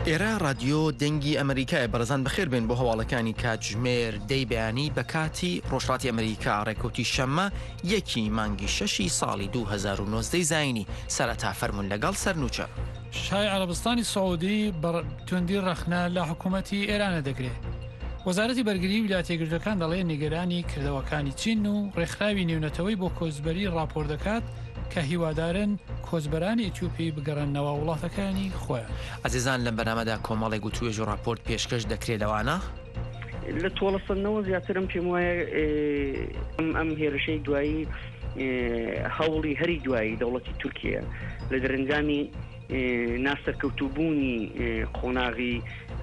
ئێرە ڕادیۆ دەنگی ئەمریکایە بەڕێزان بەخێر بێن بۆ هەواڵەکانی کاتژمێر دەی بەیانی بە کاتی ڕۆژهەڵاتی ئەمریکا ڕێکەوتی شەممە یەکی مانگی شەشی ساڵی 2019 زایینی سەرەتا فەرموون لەگەڵ سەرنوچە. شای عەرەبستانی سعودی بە توندی ڕەخنە لە حکوومەتی ئێرانە دەگرێ. وەزارەتی بەرگریی ویلایەتە یەکگرتووەکان دەڵێ نیگەرانی کردەوەکانی چین و ڕێکخراوی نێونەتەوەی بۆ کۆچبەری ڕاپۆرت دەکات کە هیوادارن کۆچبەرانی ئیتیۆپی بگەڕێننەوە وڵاتەکانی خۆیان. ئازیزان لەم بەرنامەدا کۆمەڵێک وتوێژ و ڕاپۆرت پێشکەش دەکرێ لەوانە. لە تۆڵەسەندنەوە زیاترم پێم وایە ئەم هێرشەی دوایی هەوڵی هەری دوایی دەوڵەتی تورکیە لە دەرەنجامی ناسەرکەوتووبوونی قۆناغی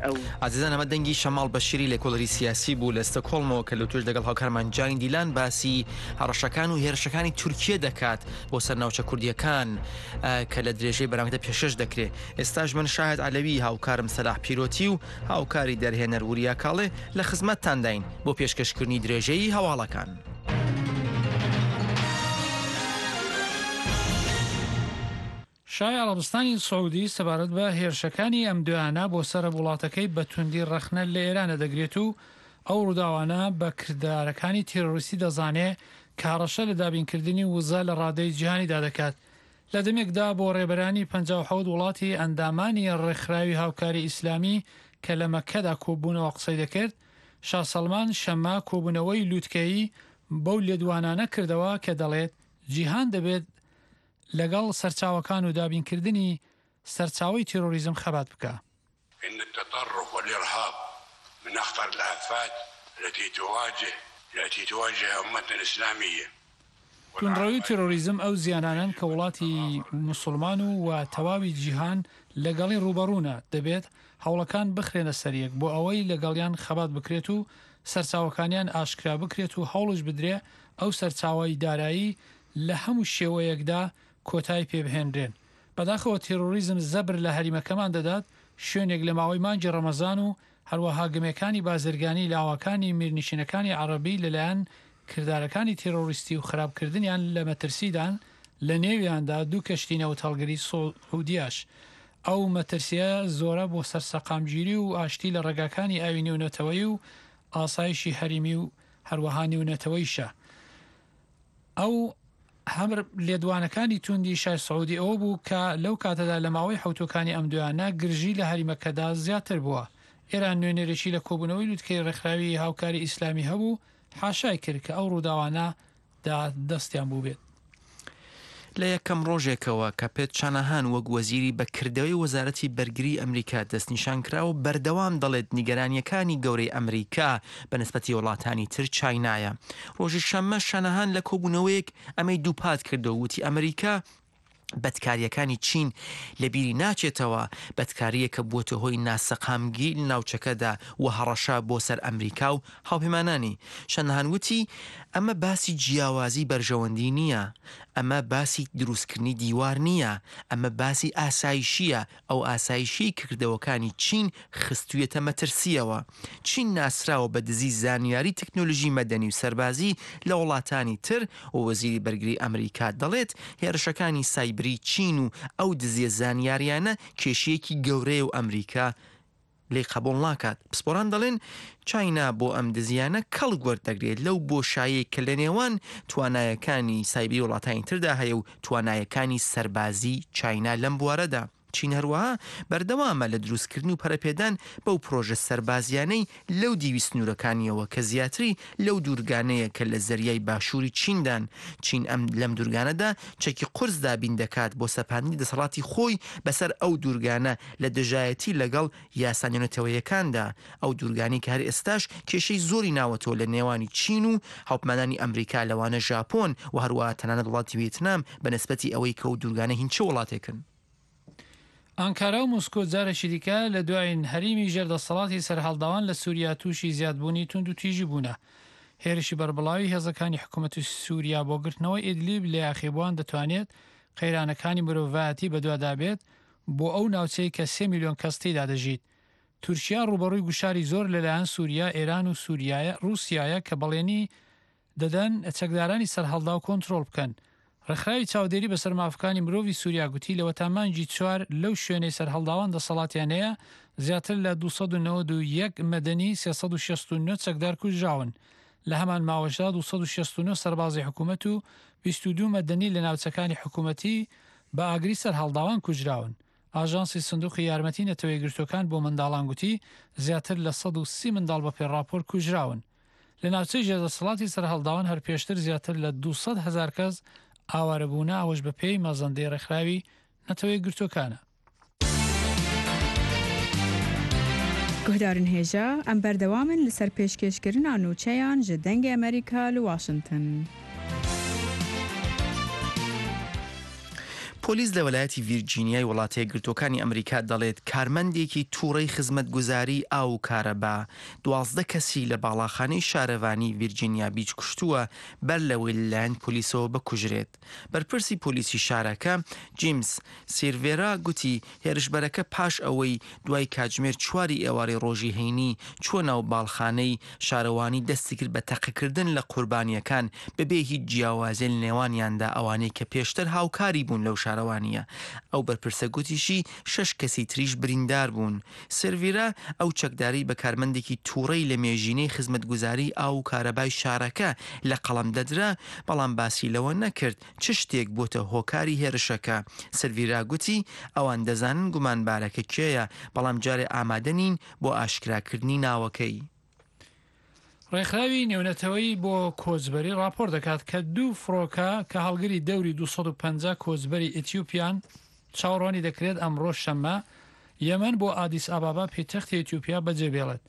ئەو. ئازیزان ئەمە دەنگی شەماڵ بەشیری لێکۆڵەری سیاسی بوو لە ستۆکهۆڵمەوە کە لەوتوێژ لەگەڵ هاوکارمان جانی دیلان باسی هەڕەشەکان و هێرشەکانی تورکیە دەکات بۆ سەر ناوچە کوردیەکان کە لە درێژەی بەرامەکەدا پێشکەش دەکرێت. ئێستاش من شاهد عەلەوی هاوکارم سەلاح پیرۆتی و هاوکاری دەرهێنەر وریا کاڵێ لە خزمەتتانداین بۆ پێشکەشکردنی درێژەی هەواڵەکان. شای عەڕەبستانی سعودی سەبارەت بە هێرشەکانی ئەم دوایانە بۆ سەر وڵاتەکەی بە توندی ڕەخنە لە ئێرانە دەگرێت و ئەو ڕووداوانە بە کردارەکانی تێرۆریستی دەزانێ کە هەڕەشە لە دابینکردنی وزە لە ڕادەی جیهانیدا دەکات. لە دەمێکدا بۆ ڕێبەرانی 57 وڵاتی ئەندامانی ڕێکخراوی هاوکاری ئیسلامی کە لە مەککەدا کۆببوونەوە قسەی دەکرد، شا سەڵمان شەممە کۆبوونەوەی لوتکەیی بەو لێدوانانە کردەوە کە دەڵێت جیهان دەبێت لەگەڵ سەرچاوەکان و دابینکردنی سەرچاوەی تیرۆریزم خەبات بکا. ان التطرف والارهاب من اخطر الافات التي تواجه التي تواجه امتنا الاسلامية توندڕەوی و تیرۆریزم ئەو زیانانەن کە وڵاتی موسوڵمان و و تەواوی جیهان لەگەڵی ڕووبەڕوونە، دەبێت هەوڵەکان بخرێنە سەریەک بۆ ئەوەی لەگەڵیان خەبات بکرێت و سەرچاوەکانیان ئاشکرا بکرێت و هەوڵش بدرێ ئەو سەرچاوەی دارایی لە هەموو شێوەیەکدا کۆتای پێبهێنرێن. بەداخەوە تێرۆریزم زەبر لە هەریمەکەمان دەدات، شوێنێک لە ماوەی مانگی ڕەمەزان و هەروەها گەمێکانی بازرگانی لاواکانی میرنشینەکانی عەڕەبی لەلایەن کردارەکانی تێرۆریستی و خراپکردنیان لە مەترسیدان، لە نێویاندا دوو کەشتی نەوتهەڵگری سعودیاش. ئەو مەترسیە زۆرە بۆ سەر سەقامگیری و ئاشتی لە ڕێگاکانی ئاوی نێونەتەوەیی و ئاسایشی هەریمی و هەروەها نێونەتەوەیشە. ئەو هەمر لێدوانەکانی توندی شای سعودی ئەوە بوو کە لەو کاتەدا لە ماوەی حەوتووەکانی ئەم دوایانە گرژی لە هەریمەکەدا زیاتر بووە. ئێران نوێنەرێکی لە کۆبوونەوەی لوتکەی ڕێکخراوی هاوکاری ئیسلامی هەبوو، حاشای کرد کە ئەو ڕووداوانە دا دەستیان بووبێت. لە یەکەم ڕۆژێکەوە کە پێت شاناهان وەک وەزیری بە کردەوەی وەزارەتی بەرگری ئەمریکا دەستنیشان کراوە، بەردەوام دەڵێت نیگەرانییەکانی گەورەی ئەمریکا بە نسبەتی وڵاتانی تر چاینایە. ڕۆژی شەممە شاناهان لە کۆبوونەوەیەک ئەمەی دووپات کردەوە وتی ئەمریکا بەدکارییەکانی چین لە بیری ناچێتەوە، بەدکارییەک کە بووەتە هۆی ناسەقامگیری لە ناوچەکەدا و هەڕەشە بۆ سەر ئەمریکا و هاوپەیمانانی. شاناهان وتی ئەمە باسی جیاوازی بەرژەوەندی نییە، ئەمە باسی دروستکردنی دیوار نییە، ئەمە باسی ئاسایشییە، ئەو ئاسایشیەی کە کردەوەکانی چین خستویەتە مەترسیەوە. چین ناسراوە بە دزی زانیاری تەکنۆلژی مەدەنی و سەربازی لە وڵاتانی تر و وەزیری بەرگری ئەمریکا دەڵێت هێرشەکانی سایبری چین و ئەو دزیە زانیاریانە کێشەیەکی گەورەیە و ئەمریکا لێی قبوڵ ناکات. پسپۆران دەڵێن چاینا بۆ ئەم دزیانە کەڵک وەردەگرێت لەو بۆشایەی کە لەنێوان توانایەکانی سایبری وڵاتانی تردا هەیە و توانایەکانی سەربازی چاینا لەم بوارەدا. چین هەروەها بەردەوامە لە دروستکردن و پەرەپێدان بەو پرۆژە سەربازیانەی لەو دیوی سنوورەکانیەوە کە زیاتری لەو دوورگانەیە کە لە زەریای باشووری چیندان. چین ئەم لەم دوورگانەدا چەکی قورس دابین دەکات بۆ سەپاندنی دەسەڵاتی خۆی بەسەر ئەو دوورگانە لە دژایەتی لەگەڵ یاسا نێونەتەوەیەکاندا، ئەو دوورگانەی کە هەر ئێستاش کێشەی زۆری ناوەتەوە لە نێوانی چین و هاوپمانانی ئەمریکا لەوانە ژاپۆن و هەروەها تەنانەت وڵاتی وێتنام بە نسبەتی ئەوەی کە ئەو دوورگانە هین چ وڵاتێکن. ئانکارا و مۆسکۆ جارێکی دیکە لە دوایین هەریمی ژێر دەسەڵاتی سەرهەڵداوان لە سوریا تووشی زیادبوونی توندوتیژی بوونە. هێرشی بەربڵاوی هێزەکانی حکومەتی سوریا بۆ گرتنەوەی ئیدلیب لە یاخیبووان دەتوانێت قەیرانەکانی مرۆڤایەتی بەدوادا بێت بۆ ئەو ناوچەی کە سێ میلیۆن کەس تێیدا دەژیت. تورکیا ڕووبەڕووی گوشاری زۆر لەلایەن سوریا، ئێران و سوریایە ڕووسیایە کە بەڵێنی دەدەن چەکدارانی سەرهەڵداو کۆنترۆڵ بکەن. ڕێکخراوی چاودێری بەسەر مافەکانی مرۆڤی سوریا گوتی لەوەتا مانگی چوار لەو شوێنەی سەرهەڵداوان دەسەڵاتیان هەیە. زیاتر لە 291 مەدەنی 369 چەکدار کوژراون. لە هەمان ماوەشدا 269 سەربازی حکوومەت و 22 مەدەنی لە ناوچەکانی حکوومەتی بە ئاگری سەرهەڵداوان کوژراون. ئاژانسی سندوقی یارمەتی نەتەوەیەکگرتووەکان بۆ منداڵان گوتی زیاتر لە 130 منداڵ بەپێ ڕاپۆرت کوژراون. لە ناوچەی ژێردەسەڵاتی سەرهەڵداوان هەر پێشتر زیاتر لە 200 هەزار کەس ئاوارەبوونە ئەوەش بەپێی مەزەندەی ڕێکخراوی نەتەوەیەکگرتووەکانە. Guhdarên hêja, em berdewam in li ser pêşkêşkirina nûçeyan ji Dengê Amerîka li Washington. پۆلیس لە وەلایەتی ڤیرجینیای وڵاتەیەکگرتووەکانی ئەمریکا دەڵێت کارمەندێکی تووڕەی خزمەتگوزاری ئاو و کارەبا 12 کەسی لە باڵاخانەی شارەوانی ڤیرجینیا بیچ کوشتووە بەر لەوەی لەلایەن پۆلیسەوە بکوژرێت. بەرپرسی پۆلیسی شارەکە، جیمس سیرڤێرا گوتی، هێرشبەرەکە پاش ئەوەی دوای کاتژمێر چواری ئێوارەی ڕۆژی هەینی چووە ناو باڵخانەی شارەوانی دەستیکرد بە تەقەکردن لە قوربانییەکان بەبێ هیچ جیاوازیە لە نێوانیاندا ئەوانەی کە پێشتر هاوکاری بوون لەو شارەوانییە. ئەو بەرپرسە گوتیشی شەش کەسی تریش بریندار بوون. سێرڤیرا ئەو چەکدارەی بە کارمەندێکی تووڕەی لە مێژینەی خزمەتگوزاریی ئاو و کارەبای شارەکە لە قەڵەم دەدرا، بەڵام باسی لەوە نەکرد چ شتێک بۆتە هۆکاری هێرشەکە. سێرڤیرا گوتی، ئەوان دەزانن گومانبارەکە کێیە، بەڵام جارێ ئامادە نین بۆ ئاشکراکردنی ناوەکەی. ڕێکخراوی نێونەتەوەیی بۆ کۆچبەری ڕاپۆرت دەکات کە دوو فڕۆکە کە هەڵگری دەوری 250 کۆچبەری ئەتیوپیان چاوەڕوانی دەکرێت ئەمڕۆ شەممە یەمەن بۆ ئادیس ئابابا پێتەختی ئەتیوپیا بەجێ بێڵێت.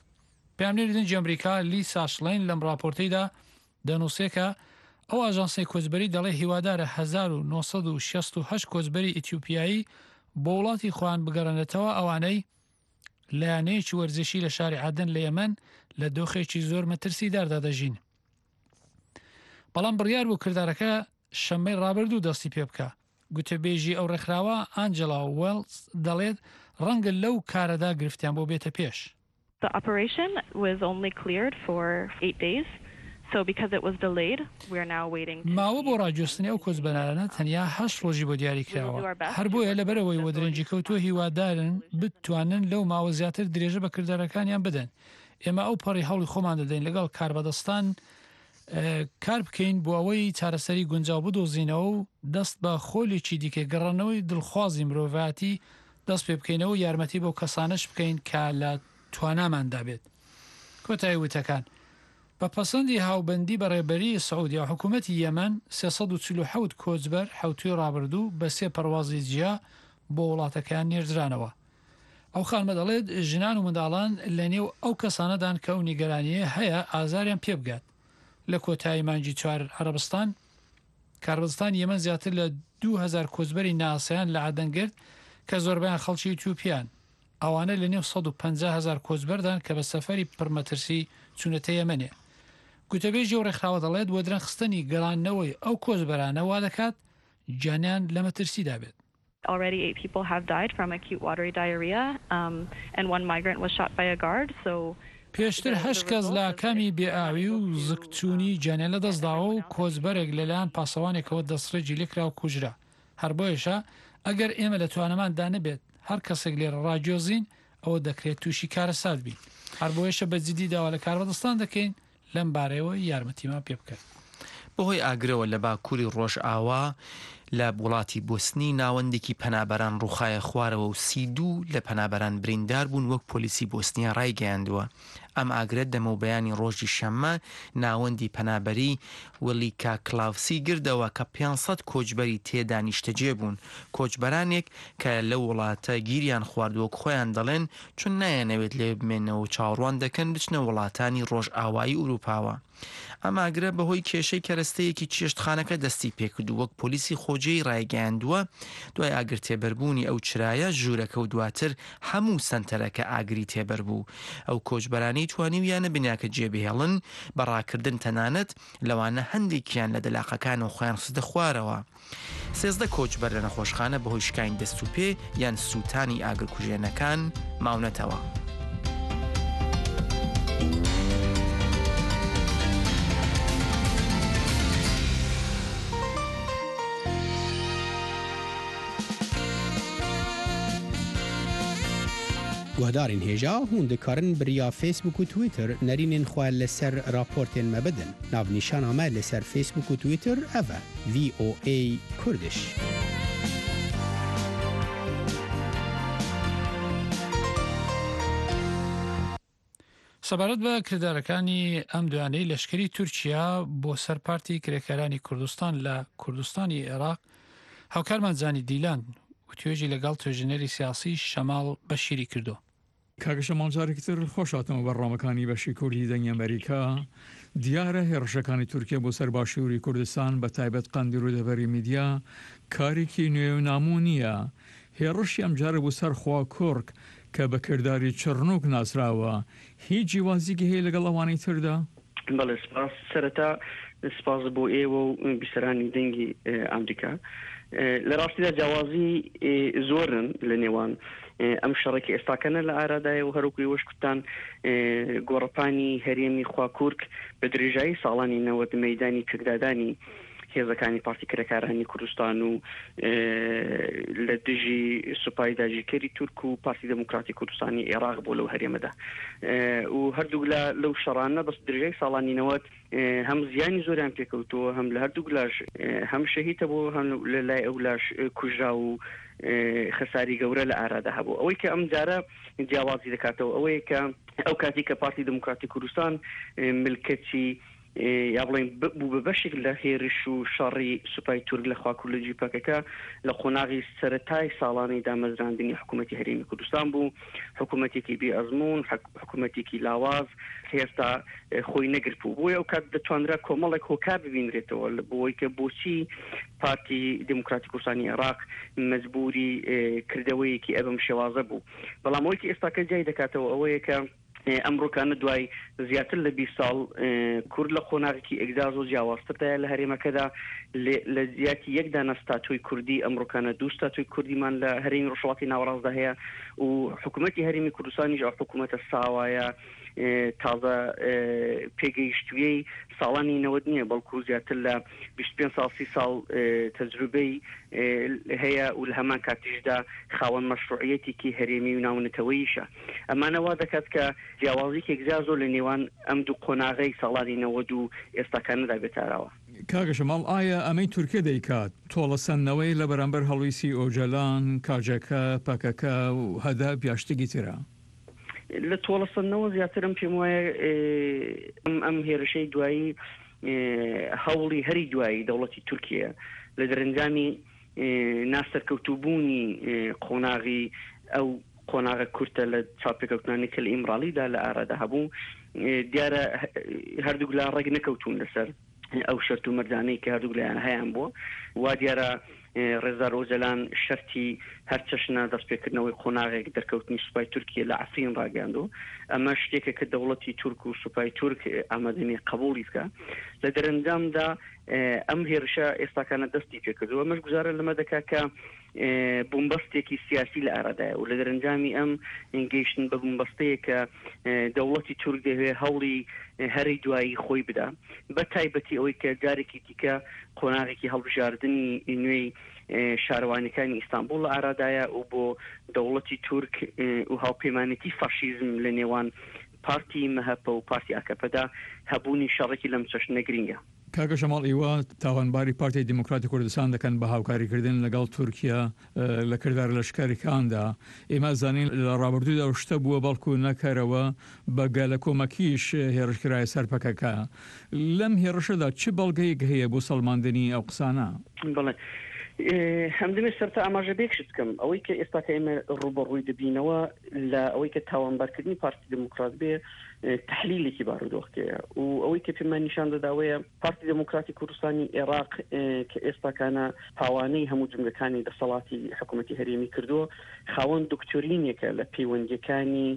پەیامنێری دەنگی ئەمریکا لیسا شڵین لەم ڕاپۆرتەیدا دەنووسێ کە ئەو ئاژانسەی کۆچبەری دەڵێ هیوادارە 1968 کۆچبەری ئەتیوپیایی بۆ وڵاتی خۆیان بگەڕێنێتەوە ئەوانەی لە یانەیەکی وەرزشی لە شاری عەدەن لە یەمەن لە دۆخێکی زۆر مەترسیداردا دەژین. بەڵام بڕیار بوو کردارەکە شەممەی ڕابردوو دەستی پێ بکا. گوتەبێژی ئەو ڕێکخراوە ئانجێلا وێڵز دەڵێت ڕەنگە لەو کارەدا گرفتیان بۆ بێتە پێش. The operation was only cleared for eight days, so because it was delayed, we are now waiting to ماوە بۆ ڕاگوێستنی ئەو کۆچبەرانە تەنیا هەشت ڕۆژی بۆ دیاری کراوە، هەر بۆیە لەبەرئەوەی وەدرەنگی کەوتووە هیوادارن بتوانن لەو ماوە زیاتر درێژە بە کردارەکانیان بدەن. ئێمە ئەو پەڕی هەوڵی خۆمان دەدەین لەگەڵ کاربەدەستان کار بکەین بۆ ئەوەی چارەسەری گونجاو بدۆزینەوە و دەست بە خۆلێکی دیکەی گەڕانەوەی دڵخوازی مرۆڤایەتی دەست پێ بکەینەوە و یارمەتی بەو کەسانەش بکەین کە لە تواناماندا بێت. کۆتایی وتەکان. بە پەسەندی هاوبەندی بە ڕێبەریی سعودیا و حکوومەتی یەمەن، 347 کۆچبەر حەوتووی ڕابردوو بە سێ پەروازی جیا بۆ وڵاتەکەیان نێردرانەوە. ئەو خانمە دەڵێت، ژنان و منداڵان لە نێو ئەو کەسانەدان کە ئەو نیگەرانییە هەیە ئازاریان پێ بگات. لە کۆتایی مانگی چوار عەرەبستان، کاربەدەستانی یەمەن زیاتر لە 2000 کۆچبەری ناسیان لە عەدەن گرت کە زۆربەیان خەڵکی ئیتیوپیان. ئەوانە لە نێو 150 هەزار کۆچبەردان کە بە سەفەری پڕمەترسی چوونەتە یەمەنێ. گوتەبێژی ئەو ڕێکخراوە دەڵێت وەدرەنگخستنی گەڕاندنەوەی ئەو کۆچبەرانە وا دەکات گیانیان لە مەترسیدا بێت. Already eight people have died from acute watery diarrhea and one migrant was shot by a guard so پێشتر هەشت کەس لە ئاکامی بێ ئاوی و زگچوونی گیانیان لەدەستداوە و کۆچبەرێک لەلایەن پاسەوانێکەوە دەستڕێژی لێکرا و کوژرا. هەر بۆیەشە ئەگەر ئێمە لە توانەماندا نەبێت هەر کەسێک لێرە ڕاگوێزین ئەوە دەکرێت تووشی کارەسات بین. هەر بۆیەشە بە جدی داوا لە کاربەدەستان دەکەین لەم بارەیەوە یارمەتیمان پێ بکەن. بەهۆی ئاگرەوە لە باکووری ڕۆژئاوا لە وڵاتی بۆسنی ناوەندێکی پەنابەران ڕووخایە خوارەوە و 32 لە پەنابەران بریندار بوون وەک پۆلیسی بۆسنیا ڕایگەیاندووە. ئەم ئاگرە دەمەوبەیانی ڕۆژی شەممە ناوەندی پەنابەری ولیکا کلاوسی گردەوە کە 500 کۆچبەری تێدا نیشتەجێ بوون. کۆچبەرانێک کە لەو وڵاتە گیریان خواردووە وەک خۆیان دەڵێن چون نایانەوێت لەوێ بمێنەوە و چاوەڕوان دەکەن بچنە وڵاتانی ڕۆژئاوایی ئورووپاوە. ئەم ئاگرە بەهۆی کێشەی کەرەستەیەکی چێشتخانەکە دەستی پێکرد و وەک پۆلیسی خۆجێی ڕایگەیاندووە، دوای ئاگرتێبەربوونی ئەو چرایە، ژوورەکە و دواتر هەموو سەنتەرەکە ئاگری تێبەربوو. ئەو کۆچبەرانەی توانیویانە بیناکە جێبهێڵن بە ڕاکردن تەنانەت لەوانە هەندێکیان لە دەلاقەکانەوە خۆیان خستە خوارەوە. 13 کۆچبەر لە نەخۆشخانە بەهۆی شکانی دەست و پێ یان سووتانی ئاگرکوژێنەکان ماونەتەوە. Guhdarên hêja hûn dikarin bi riya Facebook û Twitter nerînên xwe li ser raportên me bidin. Navnîşana me li ser Facebook û Twitter ev e, VOA Kurdish. سەبارەت بە کردارەکانی ئەم دوانەی لەشکری تورکیا بۆ سەر پارتی کرێکارانی کوردستان لە کوردستانی عێراق هاوکارمان جانی دیلان وتوێژی لەگەڵ توێژینەری سیاسی شەماڵ بەشیری کردووە. کاکە شەماڵ جارێکی تر خۆش هاتنەوە بەرنامەکانی بەشی کوردی دەنگی ئەمەریکا. دیارە هێڕشەکانی تورکیە بۆ سەر باشووری کوردستان بە تایبەت قەندیل و دەڤەری میدیا کارێکی نوێ و نامۆ نییە. هێڕشی ئەمجارە بۆ سەر خواکوڕک کە بە کرداری چڕنووک ناسراوە هیچ جیوازیکی هەیە لەگەڵ ئەوانەی تردا؟ بەڵێ سپاس. سەرەتا سپاس بۆ ئێوە و بیسەرانی دەنگی ئامریکا. لە ڕاستیدا جیاوازی زۆرن لە نێوان ئەم شەڕێک کە ئێستاکەنە لە ئارادایە و هەروەکو ئێوەش کوتتان گۆڕەپانی هەرێمی خواکورک بە درێژایی ساڵانی 90 مەیدانی پێکدادانی هێزەکانی پارتی کرێکارانی کوردستان و لە دژی سوپای داگیرکەری تورک و پارتی دێموکراتی کوردستانی ئێراق بۆ لەو هەرێمەدا و هەردوولا لەو شەڕانە بەس درێژای ساڵانی 90 هەم زیانی زۆریان پێکەوتووە هەم لە هەردووک لاش هەم شەهید هەبوو هەم لە لای ئەو لاش کوژرا و خەساری گەورە لە ئارادا هەبوو ئەوەی کە ئەم جارە جیاوازی دەکاتەوە ئەوەیە کە ئەو کاتی کە پارتی دموکراتی کوردستان ملکەچی یا بڵێین بوو بە بەشێک لە هێرش و شەڕی سوپای تورک لە خواکورد لە دژی پەکەکە لە قۆناغی سەرەتای ساڵانی دامەزراندنی حکوومەتی هەرێمی کوردستان بوو، حکوومەتێکی بێ ئەزموون، حکوومەتێکی لاواز کە هێشتا خۆی نەگرتبوو، بۆیە ئەو کات دەتوانرا کۆمەڵێک هۆکار ببینرێتەوە بۆی کە بۆچی پارتی دێموکراتی کوردستانی عێراق مەجبووری کردەوەیەکی ئەبەم شێوازە بوو، بەڵام ئەوەی کە ئێستاکە جیای دەکاتەوە ئەوەیە کە. ئەمڕۆکانە دوای زیاتر لە 20 ساڵ کورد لە قۆناغێکی ئێگجار زۆر جیاوازتردایە لە هەرێمەکەدا لە جیاتی یەک دانە ستاتۆی کوردی ئەمڕۆکانە دوو ستاتۆی کوردیمان لە هەرێمی ڕۆژهەڵاتی ناوەڕاستدا هەیە و حکوومەتی هەرێمی کوردستانیش ئەو حکوومەتە ساوایە تازە پێگەیشتوویەی ساڵانی 90 نییە بەڵکو زیاتر لە 25 ساڵ 30 ساڵ تەجروبەی هەیە و لە هەمان کاتیشدا خاوەن مەشروعیەتێکی هەرێمی و ناونەتەوەیشە. ئەمانە وا دەکات کە جیاوازیی یەکجار زۆر لە نێوان ئەم دوو قۆناغەی ساڵانی 90 و ئێستاکانەدا بێتە ئاراوە. کاکە شەماڵ ئایا ئەمەی تورکیە دەیکات تۆڵەسەندنەوەیە لە بەرامبەر هەڵویستی ئۆجەلان، کاجەکە، پەکەکە و هەدەپ یا شتێکی ترە؟ لە تۆڵەسەندنەوە زیاتر ئەم پێم وایە ئەم هێرشەی دوایی هەوڵی هەری دوایی دەوڵەتی تورکیە لە دەرەنجامی ناسەرکەوتووبوونی قۆناغی ئەو قۆناغە کورتە لە چاوپێکەوتنانی کە لە ئیمراڵیدا لە ئارادا هەبوو، دیارە هەردووک لا ڕێک نەکەوتوون لەسەر ئەو شەرت و مەرجانەی کە هەردووک لایان هەیان بووە. وا دیارە ڕێزدار ئۆجەلان شەرتی هەر چەشنە دەستپێکردنەوەی قۆناغێک دەرکەوتنی سوپای تورکیە لە عەفرین ڕاگەیاندووە. ئەمە شتێکە کە دەوڵەتی تورک و سوپای تورک ئامادە نییە قەبووڵی بکا. لە دەرەنجامدا ئەم هێرشە ئێستاکانە دەستی پێکردووە. ئەمەش گوزارە لەمە دەکا کە بومبەستێکی سیاسی لە ئارادایە و لە دەرەنجامی ئەم گەیشتن بە بومبەستەیە کە دەوڵەتی تورک دەیەوێ هەوڵی هەرەی دوایی خۆی بدا بە تایبەتی ئەوەی کە جارێکی دیکە قۆناغێکی هەڵبژاردنی نوێی شارەوانیەکانی ئیستانبوڵ لە ئارادایە و بۆ دەوڵەتی تورک و هاوپەیمانێتی فاشیزم لە نێوان پارتی مەهەپە و پارتی ئاکەپەدا هەبوونی شەڕێکی لەم چەشنە گرینگە. کاکە شەماڵ ئیوە تاوانباری پارتی دیموکراتی کوردستان دەکەن بە هاوکاریکردن لەگەڵ تورکیا لە کردارە لەشکریکاندا، ئێمە ئەزانین لە ڕابردوودا ئەو شتە بووە بەڵکو نەکەرەوە بە گەلەکۆمەکیش هێڕش کرایە سەر پەکەکە، لەم هێڕشەدا چ بەڵگەیەک هەیە بۆ سەڵماندنی ئەو قسانە؟ بەڵێ ئەمدەمێ سەرەتا ئاماژە بە یەک شت بکەم، ئەوەی کە ئێستا کە ئێمە ڕووبەڕووی دەبینەوە لە ئەوەی کە تاوانبارکردنی پارتی دێموکرات بێ تەحلیلێکی بارودۆخکەیە و ئەوەی کە پێمان نیشان دەداوەیە پارتی دێموکراتی کوردستانی ئێراق کە ئێستاکانە پاوانەی هەموو جومگەکانی دەسەڵاتی حکوومەتی هەرێمی کردووە خاوەن دکتۆرینێکە لە پەیوەندیەکانی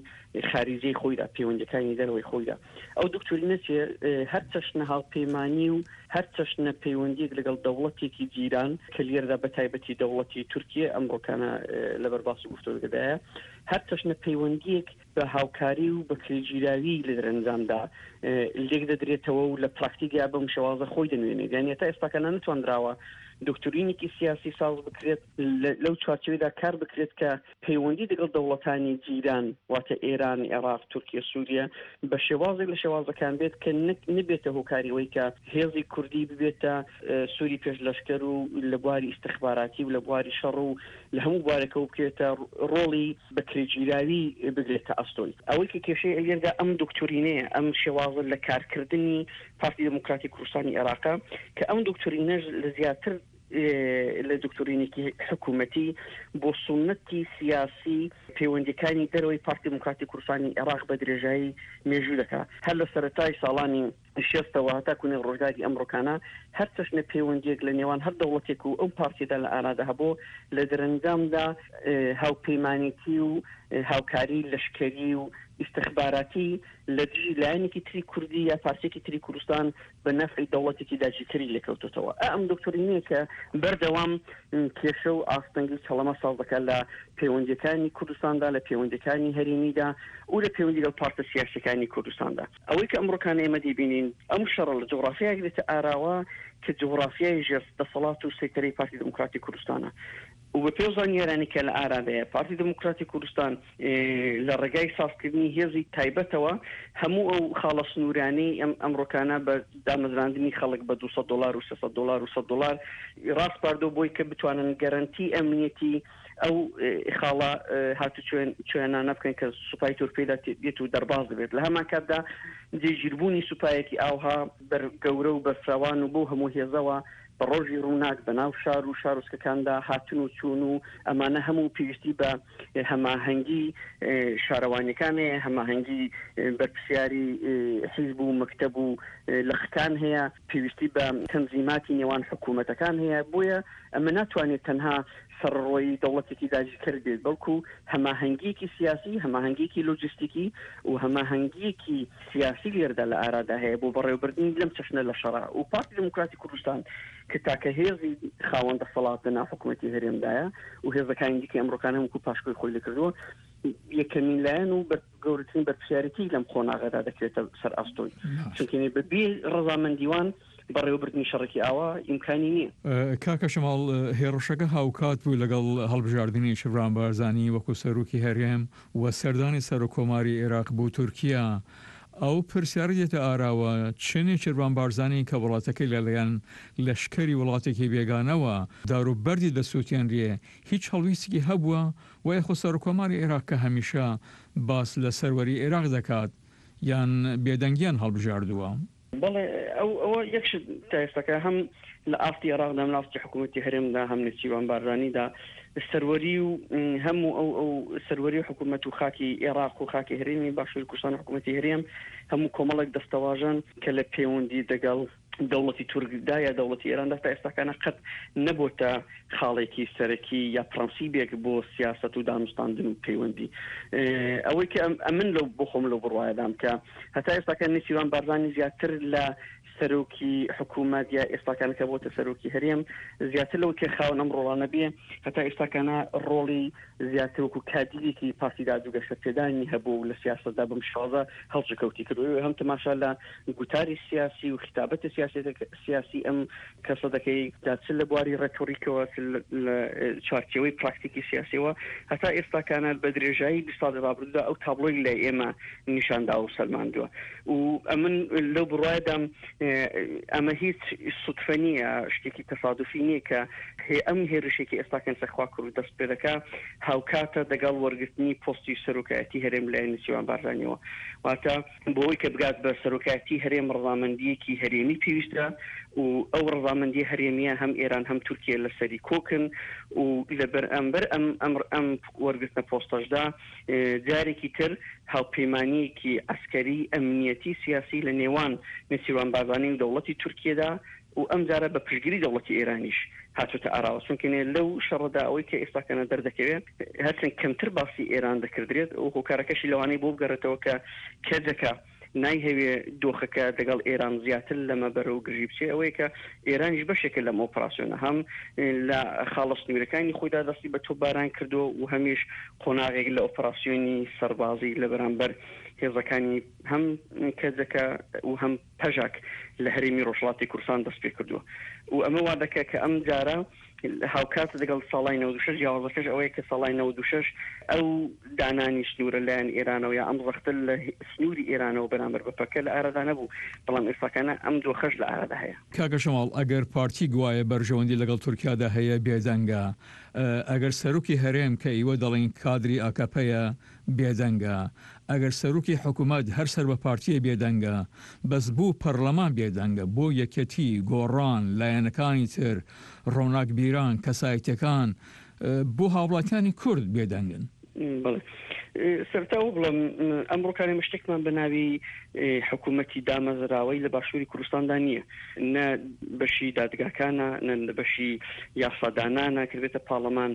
خاریجەی خۆیدا پەیوەندەکانی دەرەوەی خۆیدا ئەو دکتۆرینە چیە هەر چەشنە هاوپەیمانی و هەر چەشنە پەیوەندیەک لەگەڵ دەوڵەتێکی جیران کە لێرەدا بە تایبەتی دەوڵەتی تورکیە ئەمڕۆکانە لەبەر باس و گفتۆگەدایە هەر چەشنە پەیوەندیەک بە هاوکاری و بە کرێگیراوی لە دەرەنجامدا لێک دەدرێتەوە و لە پراکتیکدا بەم شێوازە خۆی دەنوێنێت یانی هەتا ئێستاکە نەتواندراوە. دۆکتورینێکی سیاسی ساز بکرێت، لەو چوارچێوەیدا کار بکرێت کە پەیوەندی دەگەڵ دەوڵەتانی جیران واتە ئێران، عێراق، تورکیە، سوریە بە شێوازێک لە شێوازەکان بێت کە نەبێتە هۆکاری ئەوەی کە هێزی کوردی ببێتە سوری پێش لەشکەر و لە بواری ئیستخباراتی و لە بواری شەڕ و لە هەموو بوارێکەوە بکەوێتە ڕۆڵی بەکرێگیراوی بگرێتە ئەستۆی. ئەوەی کە کێشەی ئەویەردا ئەم دۆکتۆرینەیە، ئەم شێوازە لە کارکردنی پارتی دێموکراتی کوردستانی عێراقە کە ئەم دۆکتۆرینەش لە زیاتر لە دۆکتۆرینێکی حکوومەتی بۆ سوننەتی سیاسی پەیوەندییەکانی دەرەوەی پارتی دێموکراتی کوردستانی عێراق بە درێژایی مێژوو دەکا. هەر لە سەرەتای ساڵانی شێستەوە هەتاکوو نێو ڕۆژگاری ئەمڕۆکانە هەر چەشنە پەیوەندییەک لە نێوان هەر دەوڵەتێک و ئەو پارتیەدا لە ئارادا هەبوو، لە دەرەنجامدا هاوپەیمانێتی و هاوکاری لەشکەری و ئیستخباراتی لە دژی لایەنێکی تری کوردی یا پارچەیەکی تری کوردستان بە نەفعی دەوڵەتێکی داگیرکەری لێکەوتۆتەوە. ئا ئەم دۆکتۆرینەیە کە بەردەوام کێشە و ئاستەنگی و چەڵەمە ساز دەکات لە پەیوەندییەکانی کوردستاندا، لە پەیوەندییەکانی هەرێمیدا و لە پەیوەندی لەگەڵ پارتە سیاسییەکانی کوردستاندا. ئەوەی کە ئەمڕۆکانە ئێمە دەیبینین ئەم شەڕە لە جوغرافیایەک دێتە ئاراوە کە جوغرافیای ژێر دەسەڵات و سەیتەرەی پارتی دێموکراتی کوردستانە و بە پێو زانیارانی کە لە ئارادایە پارتی دێموکراتی کوردستان لە ڕێگای سازکردنی هێزی تایبەتەوە هەموو ئەو خاڵە سنوورانەی ئەم ئەمڕۆکانە بە دامەزراندنی خەڵک بە 200 دلار و 300 دلار و 100 دلار ڕاسپاردۆ بۆی کە بتوانن گەرەنتی ئەمنیەتی ئەو خاڵە هاتوچوێنانە بکەن کە سوپای تورک پێیدا دێت و دەرباز دەبێت. لە هەمان کاتدا جێگیربوونی سوپایەکی ئاوها بەر گەورە و بەرفراوان و بەو هەموو هێزەوە بە ڕۆژی ڕووناک بە ناو شار و شارۆچکەکاندا هاتن و چوون و ئەمانە هەموو پێویستی بە هەماهەنگی شارەوانیەکان هەیە، هەماهەنگی بەرپرسیاری حیزب و مەکتەب و لقەکان هەیە، پێویستی بە تەنزیماتی نێوان حکوومەتەکان هەیە، بۆیە ئەمە ناتوانێت تەنها سەرەڕۆیی دەوڵەتێکی داگیرکەر بێت، بەڵکو هەماهەنگییەکی سیاسی، هەماهەنگییەکی لۆجستیکی و هەماهەنگییەکی سیاسی لێرەدا لە ئارادا هەیە بۆ بەڕێوەبردنی لەم چەشنە لە شەڕە و پارتی دێموکراتی کوردستان کە تاکە هێزی خاوەن دەسەڵات لە ناو حکوومەتی هەرێمدایە و هێزەکانی دیکەی ئەمڕۆکانە وەکوو پاشکۆی خۆی لێ کردووە، یەکەمین لایەن و گەورەترین بەرپرسیارێتی لەم قۆناغەدا دەکرێتە سەر ئەستۆی، چونکە بە بێ ڕەزامەندی وان بەڕێوەبردنی شەڕێکی ئاوا ئیمکانی نییە. کاکە شەماڵ، هێڕشەکە هاوکات بوو لەگەڵ هەڵبژاردنی شڤان بارزانی وەکو سەرۆکی هەرێم و سەردانی سەرۆککۆماری ئێراق بۆ تورکیا. ئەو پرسیارە دێتە ئاراوە چ نێچیرڤان بارزانی کە وڵاتەکەی لەلایەن لەشکری وڵاتێکی بێگانەوە دار و بەردی دەسووتێنرێ هیچ هەڵویستێکی هەبووە و یاخۆ سەرۆککۆماری ئێراق کە هەمیشە باس لە سەروەری ئێراق دەکات یان بێدەنگیان هەڵبژاردووە؟ بەڵێ ئەو ئەوە یەک شت تا ئێستاکە هەم لە ئاستی عێراقدا هەم لە ئاستی حکوومەتی هەرێمدا هەم نێچیروان بارزانیدا سەروەری و هەموو ئەو ئەو سەروەری و حکوومەت و خاکی عێراق و خاکی هەرێمی باشووری کوردستان و حکوومەتی هەرێم هەموو کۆمەڵێک دەستەواژەن کە لە پەیوەندی دەگەڵ دەوڵەتی تورکدا یا دەوڵەتی ئێراندا تا ئێستاکانە قەت نەبۆتە خاڵێکی سەرەکی یا پرەنسیبێک بۆ سیاسەت و دانوستاندن و پەیوەندی. ئەوەی کە ئەمن لەو بۆ خۆم لەو بڕوایەدام کە هەتا ئێستاکە نێچیروان بارزانی زیاتر لە سەرۆکی حکوومەت یا ئێستاکانە کە بۆتە سەرۆکی هەرێم زیاتر لەوەی کە خاوەن ئەم ڕۆڵانە بێ هەتا ئێستاکانە ڕۆڵی زیاتر وەکو کادیرێکی پارتی داد و گەشەپێدانی هەبوو و لە سیاسەتدا بەم شێوازە هەڵسوکەوتی کردووە. هەم تەماشا لە گوتاری سیاسی و خیتابەتی سیاسی ئەم کەسە دەکەی، جا چ لە بواری ڕێتۆریکەوە چ لە چوارچێوەی پراکتیکی سیاسیەوە، هەتا ئێستاکانە بە درێژایی 20 ساڵی ڕابردوودا ئەو تابڵۆی لای ئێمە نیشان داوە و سەلماندووە و ئەمن لەو بڕوایەدام ئەمە هیچ سوتفە نییە، شتێکی تەسادوفی نییە کە ئەم هێرشێکی ئێستاکەن سەرخواکرد دەست پێ دەکا هاوکاتە دەگەڵ وەرگرتنی پۆستی سەرۆکایەتی هەرێم لایەن نێچیروان بارزانیەوە. واتە بۆ ئەوەی کە بگات بە سەرۆکایەتی هەرێم ڕەزامەندییەکی هەرێمی پێویستە و ئەو ڕەزامەندییە هەرێمییە هەم ئێران هەم تورکیە لەسەری کۆکن و لە بەرامبەر ئەم ئەم ئەم وەرگرتنە پۆستەشدا جارێکی تر هاوپەیمانییەکی عەسکەری، ئەمنیەتی، سیاسی لە نێوان نێچیروان بارزانی و دەوڵەتی تورکیەدا و ئەمجارە بە پشتگیری دەوڵەتی ئێرانیش هاتۆتە ئاراوە، چونکە لەو شەڕەدا ئەوەی کە ئێستاکەنە دەردەکەوێت هەرچەند کەمتر باسی ئێران دەکردرێت و هۆکارەکەشی لەوانەیە بۆ بگەڕێتەوە کە کەجەکە. نایهەوێ دۆخەکە دەگەڵ ئێران زیاتر لەمە بەرەو گرژی بچێ ئەوەیە کە ئێرانیش بەشێکە لەم ئۆپراسیۆنە هەم لە خاڵە سنوورەکانی خۆیدا دەستی بە تۆپباران کردووە و هەمیش قۆناغێک لە ئۆپراسیۆنی سەربازی لە بەرامبەر هێزەکانی هەم کەجەکە و هەم پەژاک لە هەرێمی ڕۆژهەڵاتی کوردستان دەست پێ کردووە و ئەمە وا دەکا کە ئەم جارە هاوکات لەگەڵ ساڵای 96 جیاوازەکەش ئەوەیە کە ساڵای 96 ئەو دانانی سنوورە لایەن ئێرانەوە یا ئەم زەختە لە سنووری ئێرانەوە بەرامبەر بە پەکە لە ئارادا نەبوو بەڵام ئێستاکانە ئەم دۆخەش لە ئارادا هەیە. کاکە شەماڵ ئەگەر پارتی گوایە بەرژەوەندی لەگەڵ تورکیادا هەیە بێدەنگە، ئەگەر سەرۆکی هەرێم کە ئیوە دەڵێن کادری ئاکەپەیە بێدەنگە، ئەگەر سەرۆکی حکومەت هەر سەر بە پارتیە بێدەنگە، بەس بۆ پەرلەمان بێدەنگە، بۆ یەکێتی، گۆڕان، لایەنەکانی تر، ڕۆناکبیران، کەسایەتیەکان، بۆ هاوڵاتیانی کورد بێدەنگن؟ بەڵێ سەرەتا ئەوە بڵێم ئەمڕۆکان ئێمە شتێکمان بە ناوی حکوومەتی دامەزراوەی لە باشووری کوردستاندا نییە نە بەشی دادگاکانە نە بەشی یاسادانانە کە بێتە پاڵەمان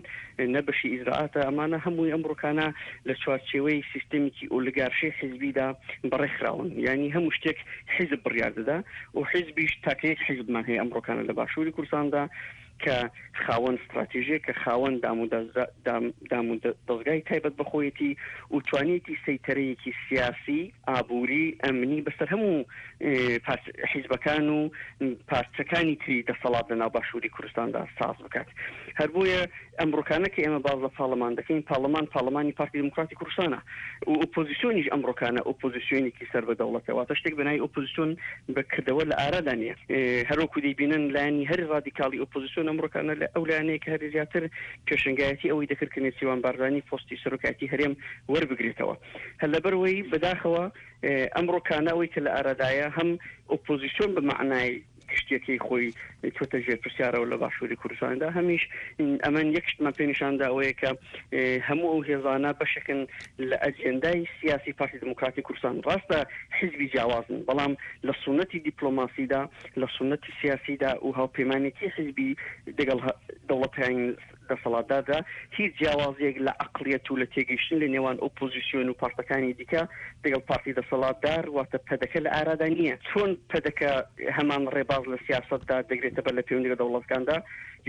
نە بەشی ئیجرائاتە ئەمانە هەمووی ئەمڕۆکانە لە چوارچێوەی سیستەمێکی ئۆلیگارشی حیزبیدا بەڕێخراون یانی هەموو شتێک حیزب بڕیار دەدا و حیزبیش تاکە یەک حیزبمان هەیە ئەمڕۆکانە لە باشووری کوردستاندا کە خاوەن ستراتیژێک کە خاوەن دام و دەزگای تایبەت بە خۆیەتی و توانیەتی سەیتەرەیەکی سیاسی، ئابووری، ئەمنی بەسەر هەموو حیزبەکان و پارچەکانی تری دەسەڵات لە ناو باشووری کوردستاندا ساز بکات. هەر بۆیە ئەمڕۆکانە کە ئێمە باس لە پاڵەمان دەکەین، پاڵەمان پاڵەمانی پارتی دیموکراتی کوردستانە و ئۆپۆزیسیۆنیش ئەمڕۆکانە ئۆپۆزیسیۆنێکی سەر بە دەوڵەتە، واتە شتێک بە ناوی ئۆپۆزیسیۆن بە کردەوە لە ئارادا نییە. هەروەکو دەیبینن لایەنی هەری ڕادیکاڵی ئۆپۆزیسیۆن ئەمڕۆکانە لە ئەو لایەنەیە کە هەری زیاتر پێشەنگایەتی ئەوەی دەکرد کە نێچیروان بارزانی پۆستی سەرۆکایەتی هەرێم وەربگرێتەوە. هەر لەبەرئەوەی بەداخەوە ئەمڕۆکانە ئەوەی کە لە ئارادایە هەم ئۆپۆزیسیۆن بە مەعنای گشتیەکەی خۆی چۆتە ژێر پرسیارەوە لە باشووری کوردستاندا هەمیش ئەمن یەک شتمان پێ نیشاندا ئەوەیە کە هەموو ئەو هێزانە بەشێکن لە ئەجێندای سیاسی پارتی دیموکراتی کوردستان ڕاستە حیزبی جیاوازن بەڵام لە سونەتی دیپلۆماسیدا لە سونەتی سیاسیدا و هاوپەیمانێتی حیزبی دەگەڵ دەوڵەتانی دەسەڵاتداردا هیچ جیاوازییەک لە عەقڵیەت و لە تێگەیشتن لە نێوان ئۆپۆزیسیۆن و پارتەکانی دیکە دەگەڵ پارتی دەسەڵاتدار واتە پەدەکە لە ئارادا نییە. چۆن پەدەکە هەمان ڕێباز لە سیاسەتدا دەگرێتە بەر لە پەیوەندی لە دەوڵەتەکاندا،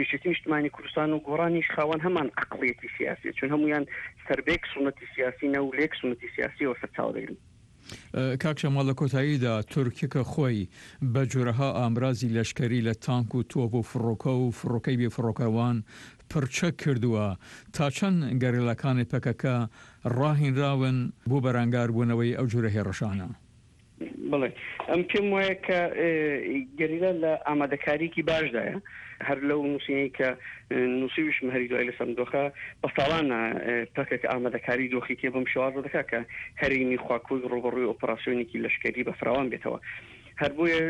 یەکێتی نیشتمانی کوردستان و گۆڕانیش خاوەن هەمان عەقڵیەتی سیاسیە، چون هەموویان سەربەیەک سوننەتی سیاسینە و لە یەک سوننەتی سیاسیەوە سەرچاوە دەگرن. کاک شەماڵ لە کۆتاییدا تورکیە کە خۆی بە جۆرەها ئامرازی لەشکەری لە تانک و تۆپ و فڕۆکە و فڕۆکەی بێ فڕۆکەوان پڕچەک کردووە، تا چەند گەریلاکانی پەکەکە ڕاهینراون بۆ بەرانگار بوونەوەی ئەو جۆرە هێڕشانە؟ بەڵێ ئەم پێم وایە کە گەریلا لە ئامادەکاریکی باشدایە هەر لەو نووسینەی کە نووسیویشم هەری دوای لەسەر ئەم دۆخە بە ساڵانە پەکەکە ئامادەکاری دۆخی تێ بەم شێوازە دەکات کە هەرێمی خواکورک ڕووبەڕووی ئۆپەراسیۆنێکی لەشکەری بەفراوان بێتەوە. هەر بۆیە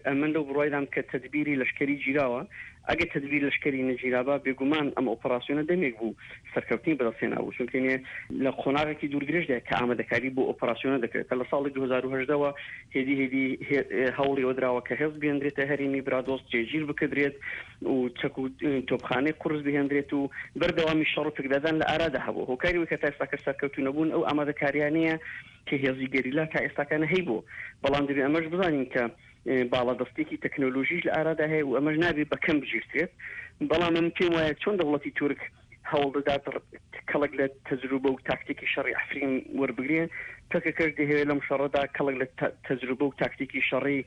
ئەمن لەو بڕوایدام کە تەدبیری لەشکەری گیراوە، ئەگەر تەدبیر لەشکەری نەگیرابا بێگومان ئەم ئۆپەراسیۆنە دەمێک بوو سەرکەوتنی بەدەست هێنابوو، چونکە نێ لە قۆناغێکی دووردرێژدایە کە ئامادەکاری بۆ ئۆپەراسیۆنە دەکرێت کە لە ساڵی 2018 وە هێدی هێدی هەوڵی ئەوە دراوە کە هێز بهێندرێتە هەرێمی برادۆست جێگیر بکردرێت و چەک و تۆپخانەی قورس بهێندرێت و بەردەوامی شەڕ و پێکدادان لە ئارادا هەبوو هۆکاری ئەوەی کە تا ئێستاکە سەرکەوتوو نەبوون ئەو ئامادەکاریانەیە کە هێزی گەریلا تا ئێستاکانە هەیبوو بەڵام دەبێ ئەمەش بزانین کە باڵادەستیەکی تەکنۆلۆژیش لە ئارادا هەیە و ئەمەش نابێ بە کەم بگیرترێت بەڵام من پێم وایە چۆن دەوڵەتی تورک هەوڵ دەدات کەڵک لە تەجروبە و تاکتیکی شەڕی عەفرین وەربگرێ، پەکەکەش دەیهەوێ لەم شەڕەدا کەڵک لە تەجروبە و تاکتیکی شەڕی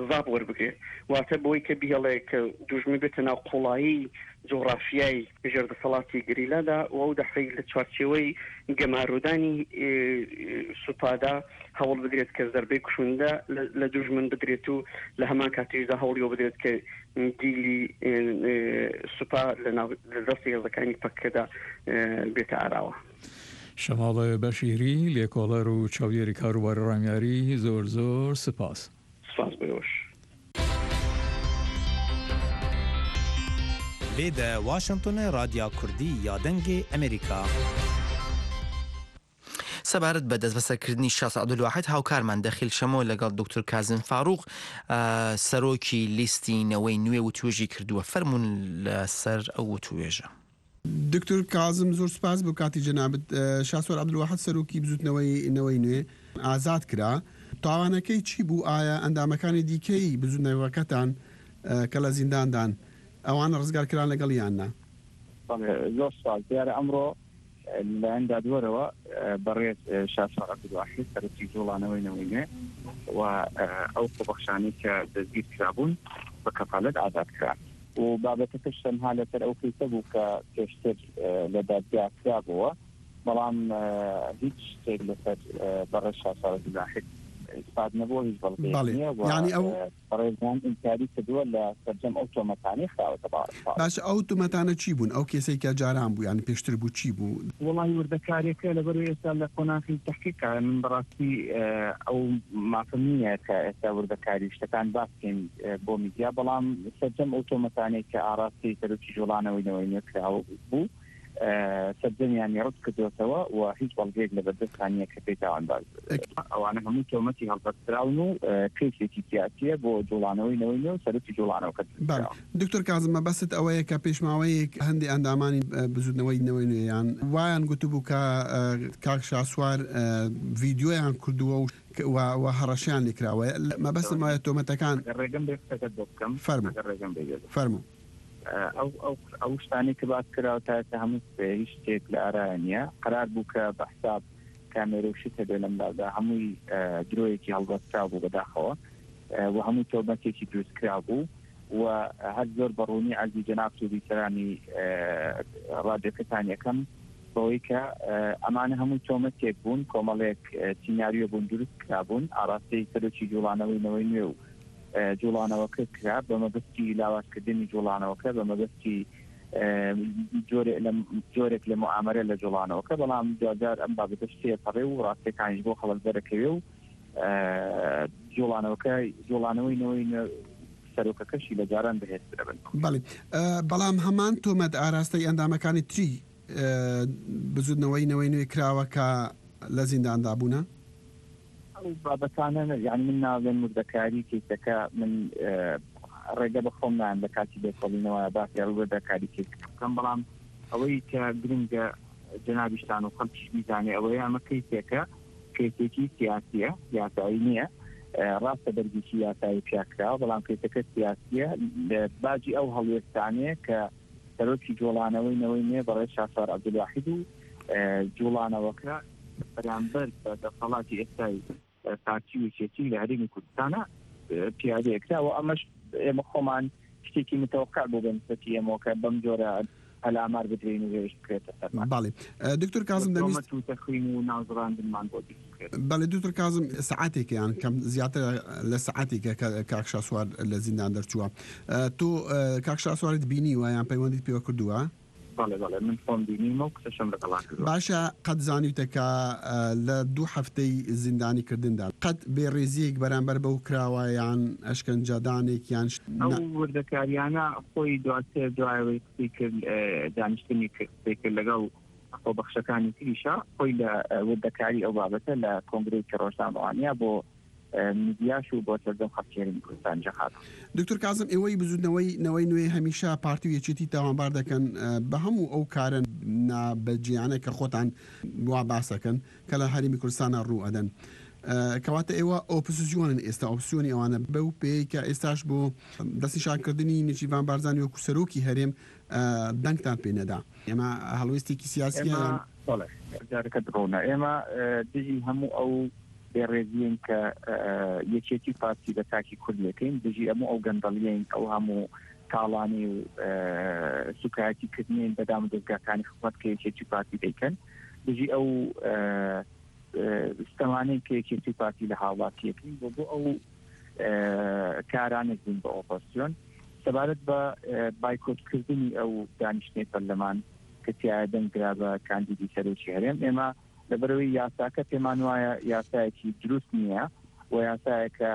زاپ وەربگرێ. واتە بەوەی کە بیهێڵێ کە دوژمن بێتە ناو قوڵایی جوغرافیای ژێر دەسەڵاتی گەریلادا و ئەو دەفعەی لە چوارچێوەی گەمارۆدانی سوپادا هەوڵ بدرێت کە زەربەی کوشندە لە دوژمن بدرێت و لە هەمان کاتیشدا هەوڵی ئەوە بدرێت کە دیلی سوپا لە ناو لە دەستی هێزەکانی پەکەکەدا بێتە ئاراوە. شەماڵ بەشیری، لێکۆڵەر و چاودێری کاروباری ڕامیاری، زۆر زۆر سپاس. سپاس بۆ ئێوەش. لێ دە واشنتۆنێ ڕادیا کوردی یا دەنگێ ئەمریکا. سەبارەت بە دەستبەسەرکردنی شاس عەبدولواحید هاوکارمان دەخیل شەمۆ لەگەڵ دوکتور کازم فاروق سەرۆکی لیستی نەوەی نوێ وتوێژی کردووە فەرموون لەسەر ئەو وتوێژە. دکتۆر کازم زۆر سوپاس بۆ کاتی جەنابت. شاسوار عەبدولواحد سەرۆکی بزوتنەوەی نەوەی نوێ ئازاد کرا. تاوانەکەی چی بوو؟ ئایا ئەندامەکانی دیکەی بزوتنەوەکەتان کە لە زینداندان ئەوان ڕزگار کران لەگەڵ یان نا؟ بەڵێ زۆر سوپاس. دیارە ئەمڕۆ لەلایەن دادوەرەوە بەڕێز شاسوار عەبدولواحید سەرۆکی جوڵانەوەی نەوەی نوێ و ئەو خۆبەخشانەی کە دەستگیر کرابوون بە کەفالەت ئازاد کران. و بابەتەکەش تەنها لەسەر ئەو کەیسە بوو کە پێشتر لە دادگا کرابۆوە، بەڵام هیچ شتێک لەسەر بەڕێز شاسوار عەبدولواحید ئیسپات نەبووە، هیچ بەڵگەیەک بەڵێ نییە و یانی ئەو بەڕێزیان ئینکاری کردووە لە سەرجەم ئەو تۆمەتانەی خراوەتە پاڵی. باشە ئەو تومەتانە چی بوون؟ ئەو کێسەی کە جاران بوو یانی پێشتر بوو چی بوو؟ وەڵاهی وردەکاریەکە لەبەرئەوەی ئێستا لە قۆناخی تەحقیقایە من بەڕاستی ئەو مافەم نییە کە ئێستا وردەکاری شتەکان باس بکەین بۆ میدیا بەڵام سەرجەم ئەو تۆمەتانەی کە ئاڕاستەی سەرۆکی جوڵانەوەی نەوەی نوێ کراوە بوو سەرجەمیانی ڕەت کردۆتەوە و هیچ بەڵگەیەک لەبەردەستان نییە کە پێی تاوانبار ئەوانە هەموو تۆمەتی هەڵبەستراون و کەیسێکی سیاسییە بۆ جوڵانەوەی نەوەی نوێ و سەرۆکی جوڵانەوەکە بەڵێ دروستکراوە. دکتۆر کازم مەبەستت ئەوەیە کە پێش ماوەیەک هەندێ ئەندامانی بزوتنەوەی نەوەی نوێیان وایان گوتبوو کە کاک شاسوار ڤیدیۆیان کردووە و و هەڕەشەیان لێکراوە مەبەستم ئەوەیە تۆمەتەکان ئەگەر ڕێگەم بێ قسەکەت بۆ بکەم فەرموو ئەگەر ڕێگەم بێ بێ فەرموو. ئەو ئەو ئەو شتانەی کە باس کراوە تا ئێستا هەموو قسەیە هیچ شتێک لە ئارایا نییە قەرار بوو کە بە حساب کامێرە و شت هەبێ لەم لادا هەمووی درۆیەکی هەڵبەستراو بوو بەداخەوە و هەموو تۆمەتێکی دروستکراو بوو و هەر زۆر بە ڕوونی عەرزی جەنابت و بیسەرانی ڕادیۆکەتان یەکەم بەوەی کە ئەمانە هەمووی تۆمەتێک بوون کۆمەڵێک سیناریۆ بوون دروست کرابوون ئاراستەی سەرۆکی جوڵانەوەی نەوەی نوێ و جوڵانەوەکە کرا بە مەبەستی لاوازکردنی جوڵانەوەکە بە مەبەستی جۆرێک لە موئامەرە لە جوڵانەوەکە بەڵام دواجار ئەم بابەتەش تێپەڕێ و ڕاستیەکانیش بۆ خەڵک دەرەکەوێ و جوڵانەوەکە جوڵانەوەی نەوەی سەرۆکەکەشی لە جاران بەهێزترە بن. بەڵێ بەڵام هەمان تۆمەت ئاراستەی ئەندامەکانی تری بزوتنەوەی نەوەی نوێ کراوە کە لە زینداندا بوونە؟ ئەو بابەتانە یانی من ناڵێم وردەکاری کەیسەکە من ڕێگە بە خۆم نایەم لە کاتی لێکۆڵینەوە باسی ئەو وردەکاری کەیسەکە بکەم بەڵام ئەوەی کە گرنگە جەنابیشتان و خەڵکیش بیزانێ ئەوەیە ئەمە کەیسێکە کەیسێکی سیاسیە یاسایی نییە ڕاستە بەرگێکی یاسایی پیا کراوە بەڵام کەیسەکە سیاسیە باجی ئەو هەڵوێستانەیە کە سەرۆکی جوڵانەوەی نەوەی نوێ بەڕێز شاسوار عەبدولواحید و جوڵانەوەکە بەرامبەر بە دەسەڵاتی ئێستای پارتی و یەکێتی لە هەرێمی کوردستانە پیادەیە کرا و ئەمەش ئێمە خۆمان شتێکی متەوقع بوو بە نسبەتی ئێمەوە کە بەم جۆرە پەلامار بدرێین و هێرش بکرێتە سەرمان. بەڵێ دکتۆر کازم دەمویست. تۆمەت و تەخوین و ناوزڕاندنمان بۆ دروست بکرێت. بەڵێ دکتۆر کازم سەعاتێکە یان کەم زیاترە لە سەعاتێکە کە کاک شاسوار لە زیندان دەرچووە تۆ کاک شاسوارت بینیوە یان پەیوەندیت پێوە کردووە؟ بەڵێ بەڵێ من خۆم بینیومە و قسەشم لەگەڵا کردووە. باشە قەت زانیوتە کە لە دوو هەفتەی زیندانی کردندا قەت بێ ڕێزیەک بەرامبەر بەو کراوە یان ئەشکەنجەدانێک یان شت ئەو نا. وردەکاریانە خۆی دواتر دوای ئەوەی قسەی کرد دانیشتنی کرد قسەی کرد لەگەڵ خۆبەخشەکانی تریشا خۆی لە وردەکاری ئەو بابەتە لە کۆنگرەیەکی ڕۆژنامەوانیا بۆ میدیاش و بۆ سەرجەم خەڵکی هەرێمی کوردستان جەخات. دکتۆر کازم ئێوەی بزوتنەوەی نەوەی نوێ هەمیشە پارتی و یەکێتی تاوانبار دەکەن بە هەموو ئەو کارە نا بەجێیانە کە خۆتان وا باس ئەکەن کە لە هەرێمی کوردستانا ڕوو ئەدەن کەواتە ئێوە ئۆپسزیۆنن ئێستا ئۆپسیۆنی ئەوانە بەو پێیەی کە ئێستاش بۆ دەستنیشان کردنی نێچیرڤان بارزانی وەکو سەرۆکی هەرێم دەنگتان پێ نەدا ئێمە هەڵوێستێکی سیاسیە ئێمە بەڵێ پرسیارەکەت ڕوونە ئێمە دژی هەموو ئەو بێڕێزیین کە یەکێتی و پارتی بە تاکی کورد لێکەین، دژی ئەموو ئەو گەندەڵیین، ئەو هەموو تاڵانی و سوکایەتی کردنین بە دام و دەزگاکانی حکومەت کە یەکێتی و پارتی دەیکەن، دژی ئەو ستەمانەی کە یەکێتی و پارتی لە هاوڵاتیەکەین بۆ بۆ ئەو کارانێک بوون بە ئۆپۆزسیۆن. سەبارەت بە بایکۆتکردنی ئەو دانیشتنەی پەرلەمان کە تیایا دەنگ درا بە کاندیدی سەرۆکی هەرێم، ئێمە لەبەرئەوەی یاساکە پێمان وایە یاسایەکی دروست نییە و یاسایەکە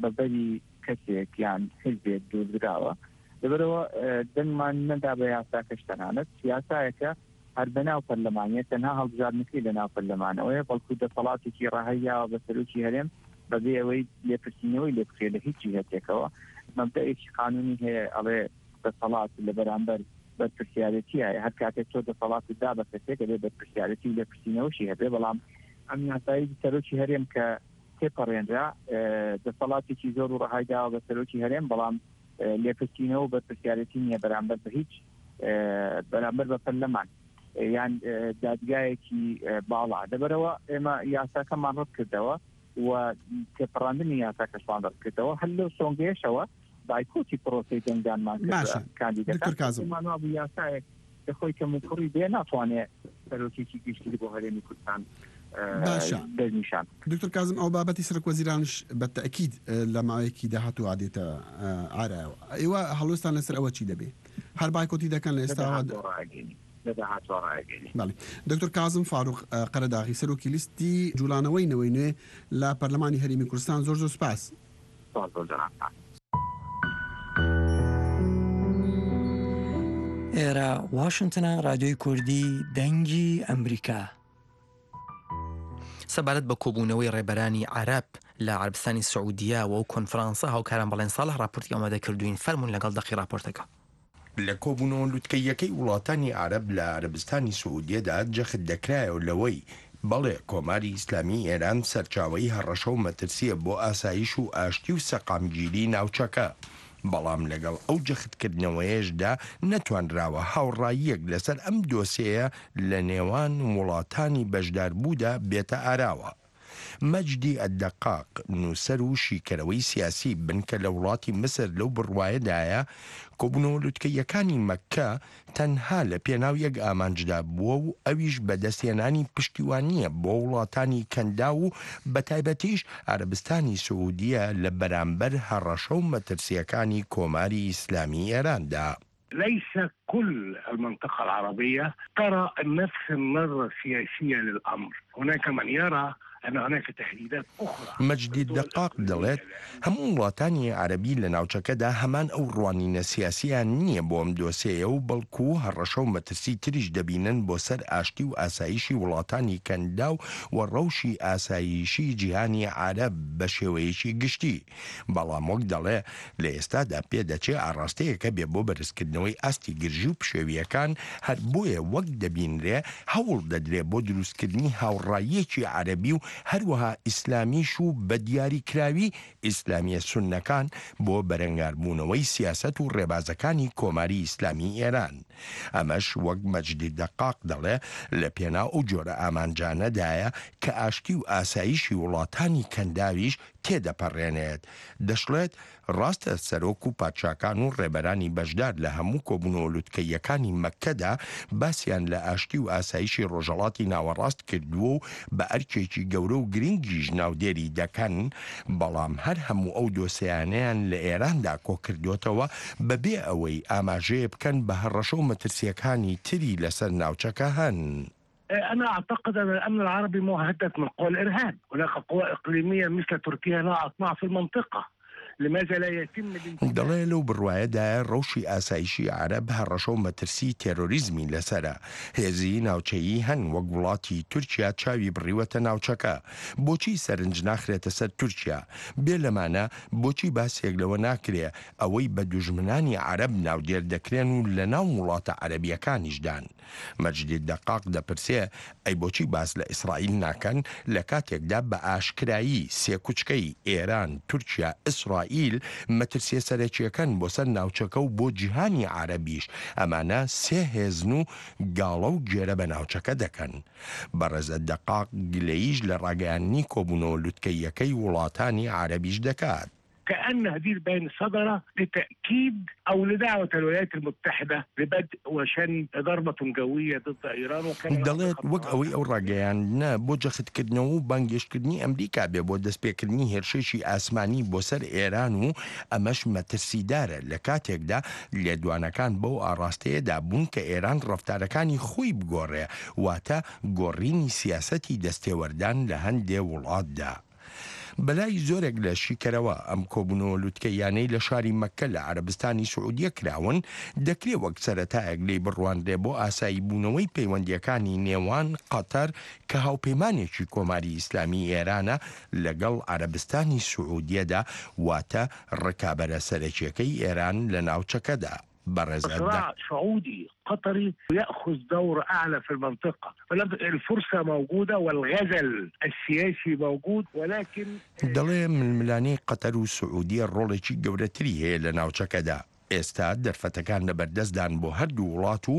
بە بەری کەسێک یان حیزبێک دوردراوە لەبەرئەوە دەنگمان نەدا بە یاساکەش تەنانەت یاسایەکە هەر بەناو پەرلەمانیە تەنها هەڵبژاردنەکەی لەناو پەرلەمانەوەیە بەڵکو دەسەڵاتێکی ڕەهای یاوە بە سەرۆکی هەرێم بەبێ ئەوەی لێپرسینەوەی لێ بکرێت لە هیچ جیهەتێکەوە مەبدەئێکی قانونی هەیە ئەڵێ دەسەڵات لە بەرامبەر بەرپرسیارێتی هەیە هەر کاتێک تۆ دەسەڵاتت دا بە کەسێک ئەبێ بەرپرسیارێتی و لێپرسینەوەشی هەبێ بەڵام ئەم یاسایی سەرۆکی هەرێم کە. تێپەڕێنرا، دەسەڵاتێکی زۆر و ڕەهای داوە بە سەرۆکی هەرێم، بەڵام لێپرسینەوە و بەرپرسیارێتی نییە بەرامبەر بە هیچ بەرامبەر بە پەرلەمان یان دادگایەکی باڵا. لەبەرئەوە ئێمە یاساکەمان ڕەتکردەوە و تێپەڕاندنی یاساکەشمان ڕەتکردەوە، هەر لەو سۆنگەیەشەوە بایکۆتی پرۆسەی دەنگدانمان کرد باشە کاندیدەکان دکتۆر کازم. پێمان وابوو یاسایەک کە خۆی کەموکوڕی بێ ناتوانێ سەرۆکێکی گشتی بۆ هەرێمی کوردستان باشە دەستنیشان بکات. دکتۆر کازم ئەو بابەتی سەرۆک وەزیرانش بە تەئکید لە ماوەیەکی داهاتووە دێتە ئارایەوە ئێوە هەڵوێستان لەسەر ئەوە چی دەبێ؟ هەر بایکۆتی دەکەن لە لە ئێستاوە؟ داهاتووە ڕائەگەینین. لە داهاتووە ڕائەگەینین. بەڵێ دکتۆر کازم فاروق قەرەداغی سەرۆکی لیستی جوڵانەوەی نەوەی نوێ لە پەرلەمانی هەرێمی کوردستان زۆر زۆر سوپاس. سپاس بۆ جەنابتان. ئێرە واشنتنە رادیۆی کوردی دەنگی ئەمریکا. سەبارەت بە کۆبوونەوەی ڕێبەرانی عەرەب لە عەرەبستانی سعودیە و ئەو کۆنفرانسە هاوکاران بەڵێن ساڵح ڕاپۆرتی ئامادە کردووین فەرموون لەگەڵ دەقی ڕاپۆرتەکە. لە کۆبوونەوە لوتکەییەکەی وڵاتانی عەرەب لە عەرەبستانی سعودیەدا جەخت دەکرایەوە لەوەی بەڵێ کۆماری ئیسلامیی ئێران سەرچاوەی هەڕەشە و مەترسییە بۆ ئاسایش و ئاشتی و سەقامگیری ناوچەکە، بەڵام لەگەڵ ئەو جەختکردنەوەیەشدا نەتوانراوە هاوڕاییەک لەسەر ئەم دۆسێیە لە نێوان وڵاتانی بەشداربوودا بێتە ئاراوە. مەجدی ئەلدەقاق، نووسەر و شیکەرەوەی سیاسی بنکە لە وڵاتی میسر لەو بڕوایەدایە، کۆبوونەوە لوتکەییەکانی مەککە تەنها لە پێناو یەک ئامانجدا بووە و ئەویش بەدەستهێنانی پشتیوانییە بۆ وڵاتانی کەنداو و بەتایبەتیش عەرەبستانی سعودیە لە بەرامبەر هەڕەشە و مەترسییەکانی کۆماری ئیسلامی ئێراندا. ليس كل المنطقة العربية ترى نفس النظرة السياسية للأمر، هناك من يرى أن هناك تهديدات أخرى مەجدی دەقاق دەڵێت، هەموو وڵاتانی عەرەبی لە ناوچەکەدا هەمان ئەو ڕوانینە سیاسییان نییە بۆ ئەم دۆسێیە و بەڵکو هەڕەشە و مەترسی تریش دەبینن بۆ سەر ئاشتی و ئاسایشی وڵاتانی کەنداو و ڕەوشی ئاسایشی جیهانی عەرەب بە شێوەیەکی گشتی. بەڵام وەک دەڵێ لە ئێستادا پێدەچێ ئاڕاستەیەک هەبێ بۆ بەرزکردنەوەی ئاستی گرژی و پشێوییەکان، هەر بۆیە وەک دەبینرێ هەوڵ دەدرێ بۆ دروستکردنی هاوڕاییەکی عەرەبی و هەروەها ئیسلامیش و بە دیاریکراوی ئیسلامییە سوننەکان بۆ بەرەنگاربوونەوەی سیاسەت و ڕێبازەکانی کۆماری ئیسلامی ئێران. ئەمەش وەک مەجدی دەقاق دەڵێ لە پێناو ئەو جۆرە ئامانجانەدایە کە ئاشتی و ئاسایشی وڵاتانی کەنداویش تێدەپەڕێنێت. دەشڵێت، ڕاستە سەرۆک و پادشاکان و ڕێبەرانی بەشدار لە هەموو کۆبوونەوە لوتکەییەکانی مەککەدا باسیان لە ئاشتی و ئاسایشی ڕۆژهەڵاتی ناوەڕاست کردووە و بە ئەرکێکی گەورە و گرنگیش ناودێری دەکەن، بەڵام هەر هەموو ئەو دۆسێیانەیان لە ئێراندا کۆکردۆتەوە بەبێ ئەوەی ئاماژەیە بکەن بە هەڕەشە و مەترسییەکانی تری لەسەر ناوچەکە هەن. أنا أعتقد أن الأمن العربي مهدد من قوى الإرهاب هناك قوى إقليمية مثل تركيا لها أطماع في المنطقة لماذا لا يتم دەڵێ لەو بڕوایەدایە ڕەوشی ئاسایشی عەرەب هەڕەشە و مەترسیی تێرۆریزمی لەسەرە. هێزی ناوچەیی هەن وەک وڵاتی تورکیا چاوی بڕیوەتە ناوچەکە. بۆچی سەرنج ناخرێتە سەر تورکیا؟ بێ لەمانە بۆچی باسێک لەوە ناکرێ ئەوەی بە دوژمنانی عەرەب ناودێر دەکرێن و لەناو وڵاتە عەرەبییەکانیشدان؟ مەجدی دەقاق دەپرسێ، ئەی بۆچی باس لە ئیسرائیل ناکەن، لە کاتێکدا بە ئاشکرایی سێکوچکەی، ئێران، تورکیا، ئیسرائیل، مەترسیە سەرەکیەکەن بۆ سەر ناوچەکە و بۆ جیهانی عەرەبیش، ئەمانە سێ هێزن و گاڵە و گێرە بە ناوچەکە دەکەن. بەڕێز دەقاق گلەییش لە ڕاگەیاندنی کۆبوونەوە لوتکەییەکەی وڵاتانی عەرەبیش دەکات. كأن هذه البيان صدر لتأكيد أو لدعوة الولايات المتحدة لبدء وشن ضربة جوية ضد إيران وكان دەڵێت، وەک ئەوەی ئەو ڕاگەیاندنە بۆ جەختکردنەوە و بانگێشتکردنی ئەمریکا بێ بۆ دەستپێکردنی هێرشێکی ئاسمانی بۆ سەر ئێران و ئەمەش مەترسیدارە لە کاتێکدا لێدوانەکان بەو ئاڕاستەیەدا بوون کە ئێران ڕەفتارەکانی خۆی بگۆڕێ واتە گۆڕینی سیاسەتی دەستێوەردان لە هەندێ وڵاتدا. بەلای زۆرێک لە شیکەرەوە ئەم کۆبوونەوە لوتکەییانەی لە شاری مەککە لە عەرەبستانی سعودیە کراون، دەکرێ وەک سەرەتایەک لێی بڕوانرێ بۆ ئاساییبوونەوەی پەیوەندییەکانی نێوان قەتەر کە هاوپەیمانێکی کۆماری ئیسلامیی ئێرانە لەگەڵ عەرەبستانی سعودیەدا واتە ڕکابەرە سەرەکییەکەی ئێران لە ناوچەکەدا. بەڕێز صراع سعودي قطري يأخذ دور أعلى في المنطقة الفرصة موجودة والغزل السياسي موجود ولكن دەڵێ ململانێی قەتەر و سعودیە ڕۆڵێکی گەورەتری هەیە لە ناوچەکەدا، ئێستا دەرفەتەکان لەبەردەستدان بۆ هەردوو وڵات و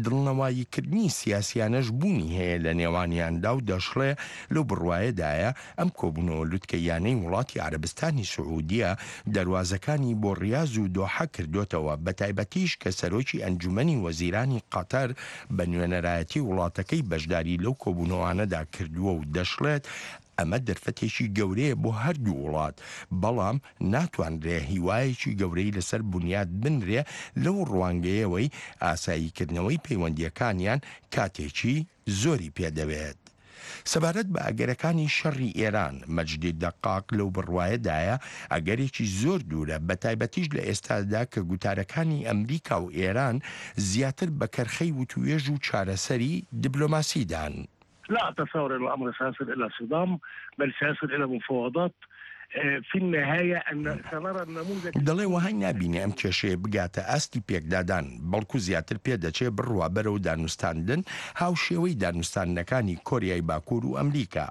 دڵنەواییکردنی سیاسیانەش بوونی هەیە لە نێوانیاندا و دەشڵێ لەو بڕوایەدایە ئەم کۆبوونەوە لوتکەییانەی وڵاتی عەرەبستانی سعودیە دەروازەکانی بۆ ڕیاز و دۆحە کردۆتەوە بەتایبەتیش کە سەرۆکی ئەنجومەنی وەزیرانی قەتەر بە نوێنەرایەتی وڵاتەکەی بەشداری لەو کۆبوونەوانەدا کردووە و دەشڵێت ئەمە دەرفەتێکی گەورەیە بۆ هەردوو وڵات، بەڵام ناتوانرێ هیوایەکی گەورەی لەسەر بونیاد بنرێ لەو ڕوانگەیەوەی ئاساییکردنەوەی پەیوەندییەکانیان کاتێکی زۆری پێدەوێت. سەبارەت بە ئەگەرەکانی شەڕی ئێران، مەجدی دەقاق لەو بڕوایەدایە ئەگەرێکی زۆر دوورە، بەتایبەتیش لە ئێستادا کە گوتارەکانی ئەمریکا و ئێران زیاتر بە کەرخەی وتووێژ و چارەسەری دبلۆماسیدان. لا أتصور أن الأمر سيصل إلى صدام بل سيصل إلى مفاوضات في النهاية أن سنرى النموذج. دەڵێ وەهای نابینێ ئەم کێشەیە بگاتە ئاستی پێکدادان، بەڵکو زیاتر پێدەچێ بڕوا بەرەو دانوستاندن هاوشێوەی دانوستاندنەکانی کۆریای باکوور و ئەمریکا.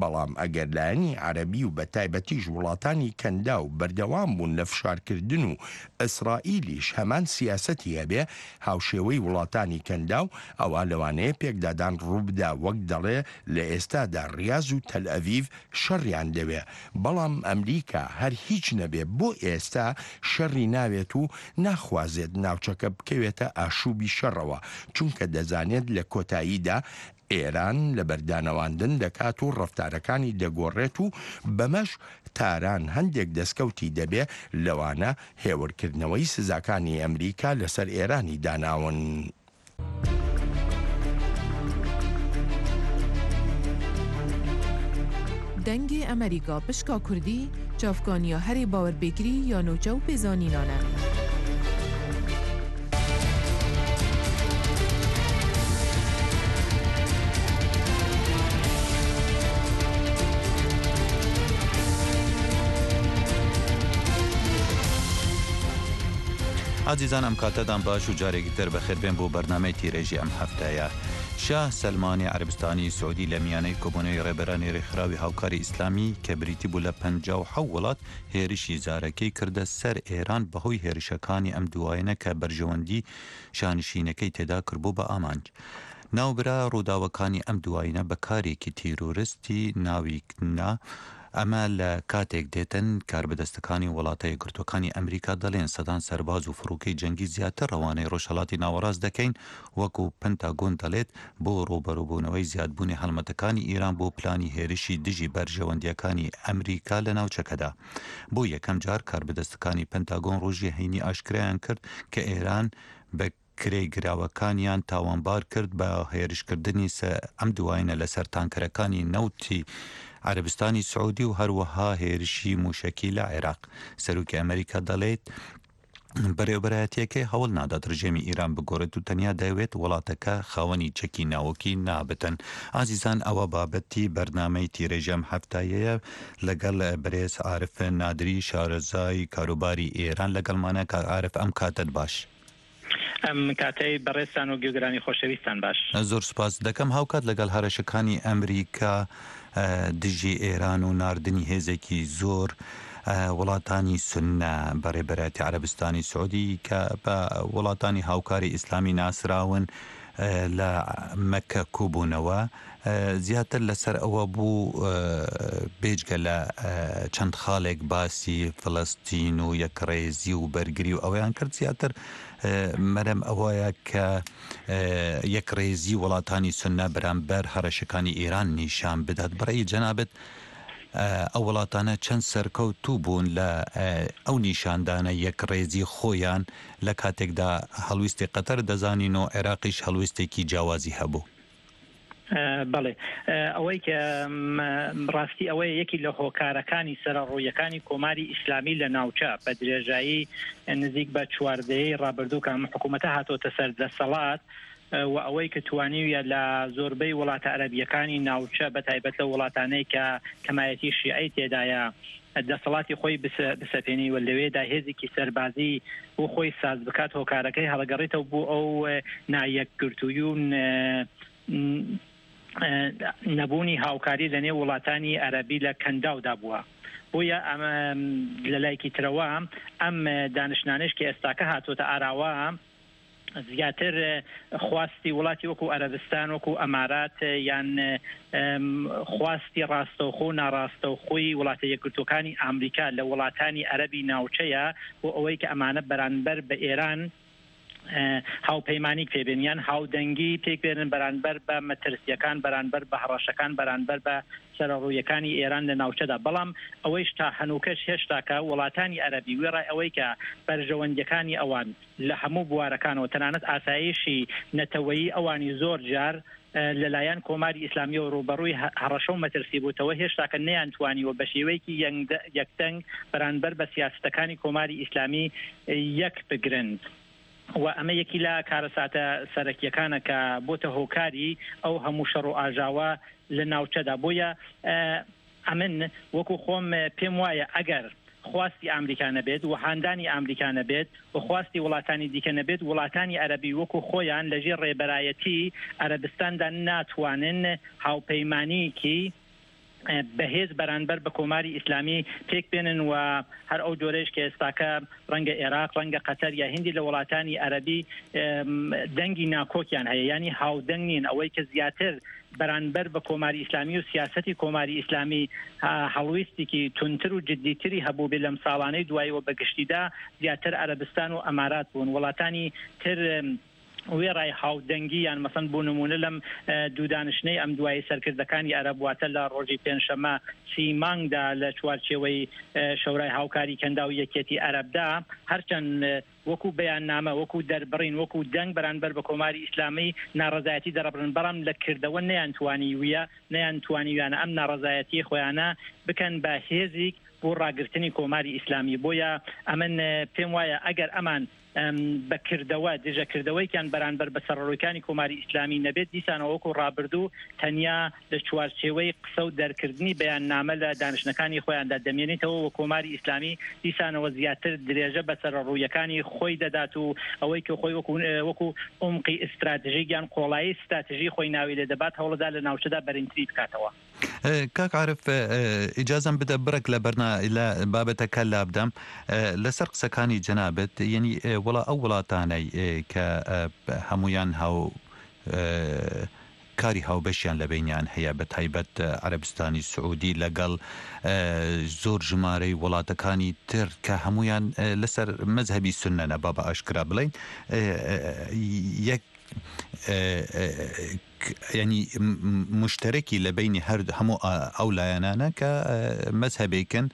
بەڵام ئەگەر لایەنی عەرەبی و بەتایبەتیش وڵاتانی کەنداو بەردەوام بوون لە فشارکردن و ئیسرائیلیش هەمان سیاسەتی هەبێ هاوشێوەی وڵاتانی کەنداو، ئەوا لەوانەیە پێکدادان ڕووبدا وەک دەڵێ لە ئێستادا ڕیاز و تەلئەڤیڤ شەڕیان دەوێ، بەڵام ئەمریکا هەر هیچ نەبێ بۆ ئێستا شەڕی ناوێت و ناخوازێت ناوچەکە بکەوێتە ئاشوبی شەڕەوە، چونکە دەزانێت لە کۆتاییدا ئێران لەبەردانەواندن دەکات و ڕەفتارەکانی دەگۆڕێت و بەمەش تاران هەندێک دەستکەوتی دەبێ لەوانە هێورکردنەوەی سزاکانی ئەمریکا لەسەر ئێرانی داناون. Dengê Amerîka pişka Kurdî çavkaniya herî bawerpêkirî ya nûçe û pêzanînan e. ئازیزان ئەم کاتەتان باش و جارێکی تر بەخێربێن بۆ بەرنامەی تیرێژی ئەم هەفتەیە. شاه سەلمانی عەرەبستانی سعودی لە میانەی کۆبوونەوەی ڕێبەرانی ڕێکخراوی هاوکاری ئیسلامی کە بریتی بوو لە 57 وڵات هێرشی زارەکەی کردە سەر ئێران بەهۆی هێرشەکانی ئەم دوایەنە کە بەرژەوەندی شانشینەکەی تێدا کردبوو بە ئامانج. ناوبرا ڕووداوەکانی ئەم دوایینە بە کارێکی تیرۆرستی ناوی نا، ئەمە لە کاتێک دێتن کاربەدەستەکانی وڵاتە یەکگرتووەکانی ئەمریکا دەڵێن سەدان سەرباز و فڕۆکەی جەنگی زیاتر ڕەوانەی ڕۆژهەڵاتی ناوەڕاست دەکەین وەکو پنتاگۆن دەڵێت بۆ ڕووبەڕووبوونەوەی زیادبوونی هەڵمەتەکانی ئیران بۆ پلانی هێرشی دژی بەرژەوەندییەکانی ئەمریکا لە ناوچەکەدا. بۆ یەکەم جار کاربەدەستەکانی پنتاگۆن ڕۆژی هەینی ئاشکرایان کرد کە ئێران بە کرێگراوەکانیان تاوانبار کرد بە هێرشکردنی ئەم دوایینە لەسەر تانکەرەکانی نەوتی عەرەبستانی سعودی و هەروەها هێرشی موشەکی لە عێراق. سەرۆکی ئەمریکا دەڵێت، بەرێوبەرایەتیەکەی هەوڵ نادات رژێمی ئیران بگۆڕێت و تەنیا دەیەوێت وڵاتەکە خاوەنی چەکی ناوەکی نابتن. ئازیزان ئەوە بابەتی بەرنامەی تیرێژی ئەم هەفتایەیە لەگەڵ بەرێز عارف نادری شارەزای کاروباری ئێران لەگەڵمانە. کاک عارف ئەم کاتەت باش. ئەم کاتەی بەڕێزتان و گوێگرانی خۆشەویستتان باش. زۆر سوپاست دەکەم. هاوکات لەگەڵ هەرەشەکانی ئەمریکا دژی ئێران و ناردنی هێزێکی زۆر وڵاتانی سوننە بە رێبەرایەتی عەرەبستانی سعودی کە بە وڵاتانی هاوکاری ئیسلامی ناسراون لە مەککە کوبوونەوە زیاتر لەسەر ئەوە بوو بێجگە لە چەند خاڵێک باسی فلستین و یەکڕێزی و بەرگری و ئەوەیان کرد زیاتر مەرەم ئەوەیە کە یەکڕێزی وڵاتانی سوننە بەرامبەر هەڕەشەکانی ئێران نیشان بدات بەڕێی جەنابت ئەو وڵاتانە چەند سەرکەوتوو بوون لە ئەو نیشاندانە یەکڕێزی خۆیان لە کاتێکدا هەڵویستی قەتەر دەزانین و عێراقیش هەڵویستێکی جیاوازی هەبوو. بەڵێ ئەوەی کە ڕاستی ئەوەیە یەکی لە هۆکارەکانی سەرڕوویەکانی کۆماری ئیسلامی لە ناوچە بە درێژایی نزیک بە چواردەیەی ڕابردوو کە ئەم حکوومەتە هاتۆتە سەر دەسەڵات. و ئەوەی کە توانیویە لە زۆربەی وڵاتە عەرەبییەکانی ناوچە بە تایبەت لەو وڵاتانەی کە کەمایەتی شیعەی تێدایە دەسەڵاتی خۆی بسەپێنی و لەوێدا هێزێکی سەربازی بۆ خۆی ساز بکات هۆکارەکەی هەڵەگەڕێتەوە بۆ ئەو نایەکگرتووی و نەبوونی هاوکاری لە نێو وڵاتانی عەرەبی لە کەنداودا بووە. بۆیە ئەمە لە لایەکی ترەوە ئەم دانیشتنانەیش کە ئێستاکە هاتووەتە ئاراوە زیاتر خواستی وڵاتی وەکو عەرەبستان وەکو ئەمارات یان خواستی ڕاستەوخۆ و ناڕاستەوخۆی وڵاتە یەکگرتووەکانی ئامریکا لە وڵاتانی عەرەبی ناوچەیە بۆ ئەوەی کە ئەمانە بەرانبەر بە ئێران هاوپەیمانیک پێ بێن یان هاودەنگی پێک بێنن بەرانبەر بە مەترسییەکان، بەرانبەر بە هەڕەشەکان، بەرانبەر بە سەرەڕوویەکانی ئێران لە ناوچەدا. بەڵام ئەوەیش تا هەنووکەش هێشتاکە وڵاتانی عەرەبی وێڕای ئەوەی کە بەرژەوەندییەکانی ئەوان لە هەموو بوارەکانەوە تەنانەت ئاسایشی نەتەوەیی ئەوانی زۆر جار لەلایەن کۆماری ئیسلامییەوە ڕووبەڕووی هەڕەشە و مەترسی بووتەوە، هێشتاکە نەیانتوانیوە بە شێوەیەکی یەکدەنگ بەرانبەر بە سیاسەتەکانی کۆماری ئیسلامی یەک بگرن و ئەمە یەکی لە کارەساتە سەرەکییەکانە کە بۆتە هۆکاری ئەو هەموو شەڕ و ئاژاوە لە ناوچەدا. بۆیە ئەمن وەکوو خۆم پێم وایە ئەگەر خواستی ئامریکا نەبێت و هاندانی ئامریکا نەبێت و خواستی وڵاتانی دیکە نەبێت، وڵاتانی عەرەبی وەکوو خۆیان لەژێر ڕێبەرایەتی عەرەبستاندا ناتوانن هاوپەیمانییەکی بەهێز بەرانبەر بە کۆماری ئیسلامی پێک بێنن و هەر ئەو جۆرەیش کە ئێستاکە ڕەنگە ئێراق، ڕەنگە قەتەر یا هیندی لە وڵاتانی عەرەبی دەنگی ناکۆکیان هەیە یانی هاودەنگ نین ئەوەی کە زیاتر بەرانبەر بە کۆماری ئیسلامی و سیاسەتی کۆماری ئیسلامی هەڵویستێکی توندتر و جدیتری هەبووبێ لەم ساڵانەی دواییەوە بە گشتیدا زیاتر عەرەبستان و ئەمارات بوون وڵاتانی تر وێڕای هاودەنگی یان مەسەن بۆ نموونە لەم دوو دانیشتنەی ئەم دوایی سەرکردەکانی عەرەب واتە لە ڕۆژی پێنجشەممە سی مانگدا لە چوارچێوەی شەورای هاوکاری کەنداو یەکیەتی عەرەبدا هەرچەند وەکوو بەیاننامە، وەکوو دەربڕین، وەکوو دەنگ بەرانبەر بە کۆماری ئیسلامی ناڕەزایەتی دەرەبڕن، بەڵام لە کردەوە نەیانتوانیویە نەیانتوانیویانە ئەم ناڕەزایەتییەی خۆیانە بکەن بە هێزیک بۆ ڕاگرتنی کۆماری ئیسلامی. بۆیە ئەمن پێم وایە ئەگەر ئەمان بە کردەوە دژە کردەوەیکیان بەرانبەر بە سەرەڕۆیکانی کۆماری ئیسلامی نەبێت، دیسانەوە وەکوو ڕابردوو تەنیا لە چوارچێوەی قسە و دەرکردنی بەیاننامە لە دانیشتنەکانی خۆیاندا دەمێنیتەوە و کۆماری ئیسلامی دیسانەوە زیاتر درێژە بە سەرەڕوویەکانی خۆی دەدات و ئەوەی کە خۆی وەکوو وەکوو عومقی ئیستراتژیک یان قۆڵایی ستراتژی خۆی ناوی لێ دەبات هەوڵدەدا لە ناوچەدا بەرینتری بکاتەوە. کاک عارف ئیجازەم بدە بڕێک لە بەرنا لە بابەتەکە لابدەم لەسەر قسەکانی جەنابت یەنی وڵا ئەو وڵاتانەی کە هەمویان هاو کاری هاوبەشیان لە بەینیان هەیە بە تایبەت عەرەبستانی سعودی لەگەڵ زۆر ژمارەی وڵاتەکانی تر کە هەمویان لەسەر مەزهەبی سوننەنە با بە ئاشکرا بڵێین یەک یانی موشتەرەکی لە بەینی هەر هەموو ئەو لایەنانە کە مەزهەبێکن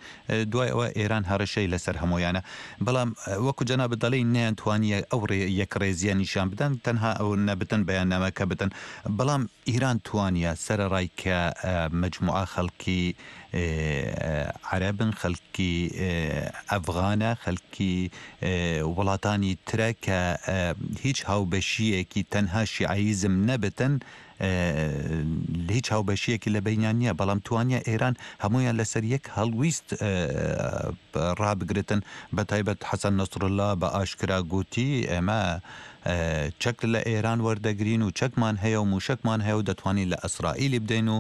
دوای ئەوە ئێران هەڕەشەی لەسەر هەموویانە بەڵام وەکو جەنابت دەڵێی نەیانتوانیە ئەو یەکڕێزیە نیشان بدەن تەنها ئەو نەبتن بەیاننامەکە بدەن بەڵام ئیران توانیە سەرەڕای کە مەجموعە خەڵکی عەرەبن خەڵکی ئەفغانە خەڵکی وڵاتانی ترە کە هیچ هاوبەشیەکی تەنها شیعەیزم نەبتن هیچ هاوبەشیەکی لە بەینیان نیە بەڵام توانیە ئێران هەموویان لەسەر یەک هەڵویست ڕابگرتن بەتایبەت حەسەن نەسرولا بە ئاشکرا گوتی ئێمە چەک لە ئێران وەردەگرین و چەکمان هەیە و موشەکمان هەیە و دەتوانین لە ئەسرائیلی بدەین و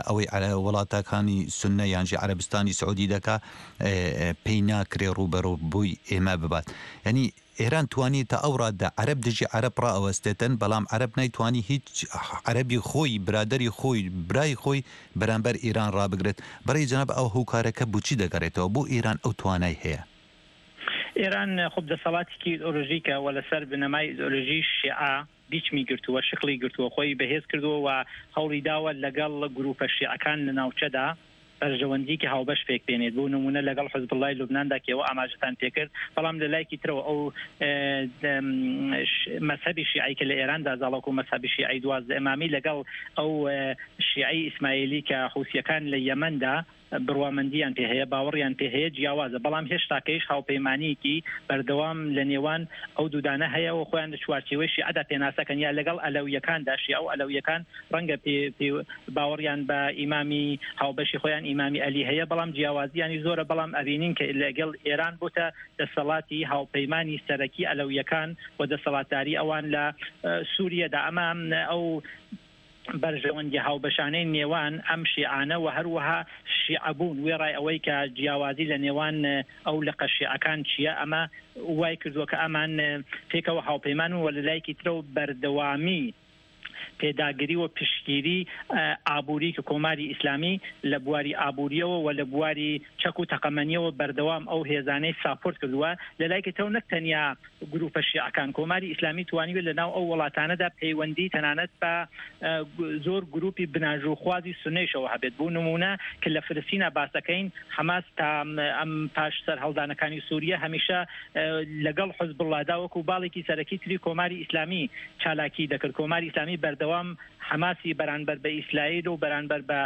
ئەوەی وڵاتەکانی سوننە یانژی عەرەبستانی سعودی دەکا پێی ناکرێ ڕووبەڕووی ئێمە ببات یانی ئێران توانی تا ئەو ڕادە عەرەب دژی عەرەب ڕائەوەستێتن بەڵام عەرەب نەیتوانی هیچ عەرەبی خۆی برادەری خۆی برای خۆی بەرامبەر ئیران ڕابگرێت بەڕێی جەناب ئەو هوکارەکە بوچی دەگەڕێتەوە بۆ ئیران ئەو توانای هەیە؟ ئێران خۆب دەسەڵاتێکی ئیدئۆلۆژیکە و لەسەر بنەمای ئیدئۆلۆژی شیعە بیچمی گرتووە، شکڵی گرتووە، خۆی بەهێز کردووە و هەوڵی داوە لەگەڵ گرووپە شیعەکان لە ناوچەدا بەرژەوەندییەکی هاوبەش پێک بێنێت، بۆ نموونە لەگەڵ حزبوڵڵای لوبناندا کە ئێوە ئاماژەتان پێکرد، بەڵام لە لایەکی ترەوە ئەو مەزهەبی شیعەی کە لە ئێراندا زاڵە وەکوو مەزهەبی شیعەی 12 ئیمامی لەگەڵ ئەو شیعەی ئیسماعیلی کە حوسییەکان لە یەمەندا. بڕوامەندییان پێ هەیە، باوەڕیان پێ هەیە جیاوازە، بەڵام هێشتاکەیش هاوپەیمانییەکی بەردەوام لە نێوان ئەو دوودانە هەیە و خۆیان لە چوارچێوەی شیعەدا پێناسەکەن یا لەگەڵ ئەلەوییەکاندا، شیعە و ئەلەوییەکان ڕەنگە پێ پێ باوەڕیان بە ئیمامی هاوبەشی خۆیان ئیمامی ئەلی هەیە، بەڵام جیاوازییانی زۆرە، بەڵام ئەبینین کە لەگەڵ ئێران بۆتە دەسەڵاتی هاوپەیمانی سەرەکی ئەلەوییەکان و دەسەڵاتداری ئەوان لە سووریەدا ئەمە ئەو بەرژەوەندیە هاوبەشانەی نێوان ئەم شیعانە و هەروەها شیعەبوون وێڕای ئەوەی کە جیاوازی لە نێوان ئەو لقە شیعەکان چییە ئەمە وای کردووە کە ئەمان پێکەوە هاوپەیمان و لە لایەکی ترەوە بەردەوامی پێداگری و پشتگیری ئابووری کە کۆماری ئیسلامی لە بواری ئابووریەوە و لە بواری چەک و تەقەمەنیەوە بەردەوام ئەو هێزانەی ساپۆرت کردووە لە لایەکی ترەوە نەک تەنیا گروپە شیعەکان، کۆماری ئیسلامی توانیوە لە ناو ئەو وڵاتانەدا پەیوەندی تەنانەت بە زۆر گروپی بناژووخوازی سوننەیشەوە هەبێت. بۆ نموونە کە لە فلستینا باس دەکەین، حەماس تا ئەم پاش سەرهەڵدانەکانی سوریە هەمیشە لەگەڵ حزبوڵڵادا وەکوو باڵێکی سەرەکی تری کۆماری ئیسلامی چالاکیی دەکرد. کۆماری ئیسلامی بەردەوام حەماسی بەرانبەر بە ئیسرائیل و بەرانبەر بە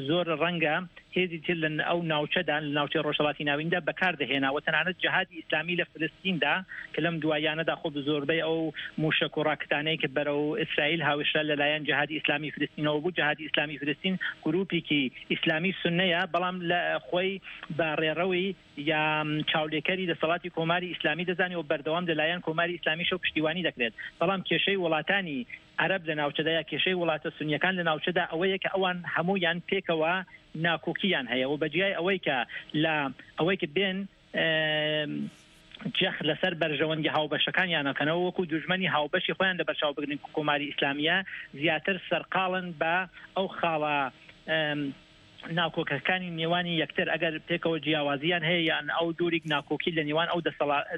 زۆر ڕەنگە هێزی تر لە ئەو ناوچەدا، لە ناوچەی ڕۆژهەڵاتی ناویندا بەکار دەهێنا و تەنانەت جەهادی ئیسلامی لە فلستیندا کە لەم دواییانەدا خۆ زۆربەی ئەو مووشەک و ڕاکتانەی کە بەرەو ئیسرائیل هاوێشرا لە لایەن جەهادی ئیسلامی فلستینەوە بوو. جەهادی ئیسلامی فلستین گرووپێکی ئیسلامی سوننەیە بەڵام لە خۆی بە ڕێڕەوی یا چاولێکەری دەسەڵاتی کۆماری ئیسلامی دەزانێ و بەردەوام لە لایەن کۆماری ئیسلامیشەوە پشتیوانی دەکرێت. بەڵام کێشەی وڵاتانی عەرەب لە ناوچەدا یا کێشەی وڵاتە سونیەکان لە ناوچەدا ئەوەیە کە ئەوان هەموویان پێکەوە ناکۆکییان هەیە و بەجیای ئەوەی کە لە ئەوەی کە بێن جەخت لەسەر بەرژەوەندی هاوبەشەکانیان ئەکەنەوە وەکو دوژمەنی هاوبەشی خۆیان لەبەرچاو بگرن کە کۆماری ئیسلامییە زیاتر سەرقاڵن بە ئەو خاڵە ناکۆکەکانی نێوانی یەکتر ئەگەر پێکەوە جیاوازیان هەیە یان ئەو جۆریک ناکۆکی لە نێوان ئەو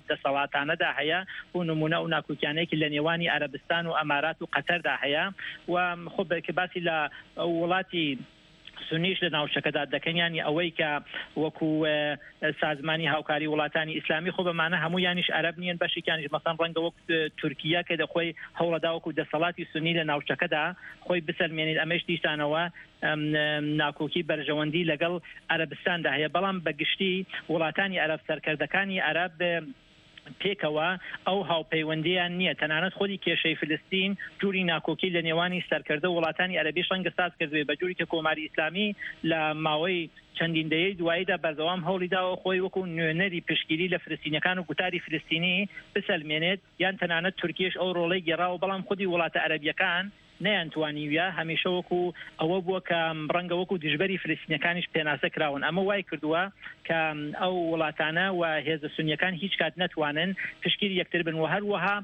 دەسەڵاتانەدا هەیە بۆ نمونە ئەو ناکۆکیانەیە لە نێوانی عەرەبستان و ئەمارات و قەتەردا هەیە و خۆ کە باسی لە وڵاتی سونیش لە ناوچەکەدا دەکەن یانی ئەوەی کە وەکو سازمانی هاوکاری وڵاتانی ئیسلامی خۆ بەمانە هەموویانیش عەرەب نییەن بەشێکیانیش مەسەن ڕەنگە وەک تورکیە کە دەخۆی هەوڵەدا وەکو دەسەڵاتی سونی لە ناوچەکەدا خۆی بسەلمێنێت ئەمەش دیسانەوە ناکۆکی بەرژەوەندی لەگەڵ عەرەبستاندا هەیە بەڵام بە گشتی وڵاتانی عەرەب سەرکردەکانی عەرەب پێکەوە ئەو هاوپەیوەندییان نییە تەنانەت خودی کێشەی فلستین جوری ناکۆکی لە نێوانی سەرکردە و وڵاتانی عەرەبیش ڕەنگە ساز کردبێت بە جوری کە کۆماری ئیسلامی لە ماوەی چەندین دەیەی دواییدا بەردەوام هەوڵی داوە خۆی وەکو نوێنەری پشتگیری لە فلستینیەکان و گوتاری فلستینی بسەلمێنێت یان تەنانەت تورکیەش ئەو ڕۆڵەی گێڕاوە بەڵام خودی وڵاتە عەرەبیەکان نەیانتوانیویە، هەمیشە وەکو ئەوە بووە کە ڕەنگە وەکو دژبەری فلستینیەکانیش پێناسە کراون، ئەمە وای کردووە کە ئەو وڵاتانە و هێزە سونیەکان هیچ کات نەتوانن پشتگیری یەکتر بن و هەروەها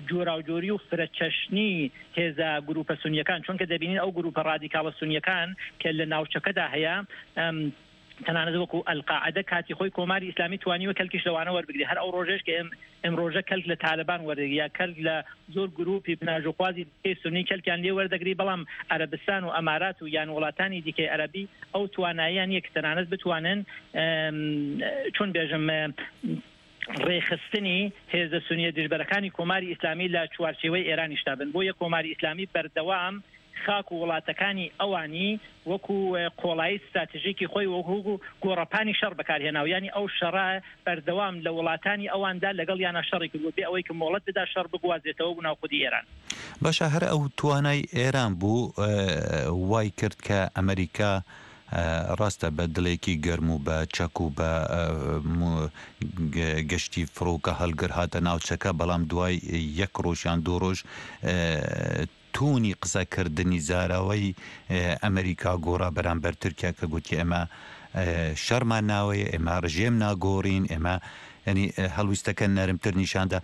جۆراوجۆری و فرەچەشنی هێزە گروپە سونیەکان چونکە دەبینین ئەو گروپە ڕادیکاڵە سونیەکان کە لە ناوچەکەدا هەیە تەنانەت وەکو ئەلقاعدە کاتی خۆی کۆماری ئیسلامی توانیوە کەلکیش لەوانە وەربگرێ هەر ئەو ڕۆژێش کە ئێمڕۆژە کەلک لە تالبان وەردەگری یا کەلک لە زۆر گروپی بناژوخوازی دیکەی سوننی کەلکیان لێ وەردەگری بەڵام عەرەبستان و ئەمارات و یان وڵاتانی دیکەی عەرەبی ئەو تواناییان نییە کە تەنانەت بتوانن چۆن بێژم ڕێکخستنی هێزە سونیە دژبەرەکانی کۆماری ئیسلامی لە چوارچێوەی ئێرانیشدا بن بۆیە کۆماری ئیسلامی بەردەوام خاک و وڵاتەکانی ئەوانی وەکو قۆڵایی ستراتژیکی خۆی وەکو گۆڕەپانی شەڕ بەکارهێناوە یانی ئەو شەڕە بەردەوام لە وڵاتانی ئەواندا لەگەڵیانا شەڕی کردووە بێ ئەوەی کە مۆڵەت بدا شەڕ بگوازرێتەوە بۆ ناو خودی ئێران. باشە هەر ئەو توانای ئێران بوو وای کرد کە ئەمریکا ڕاستە بە دڵێکی گەرم و بە چەک و بە گەشتی فڕۆکە هەڵگر هاتە ناوچەکە بەڵام دوای یەک ڕۆژ یان دوو ڕۆژ تۆنی قسەکردنی زاراوەی ئەمریکا گۆڕا بەرامبەر تورکیا کە گوتی ئێمە شەڕمان ناوەیە، ئێمە ڕژێم ناگۆڕین، ئێمە یانی هەڵویستەکە نەرمتر نیشاندا.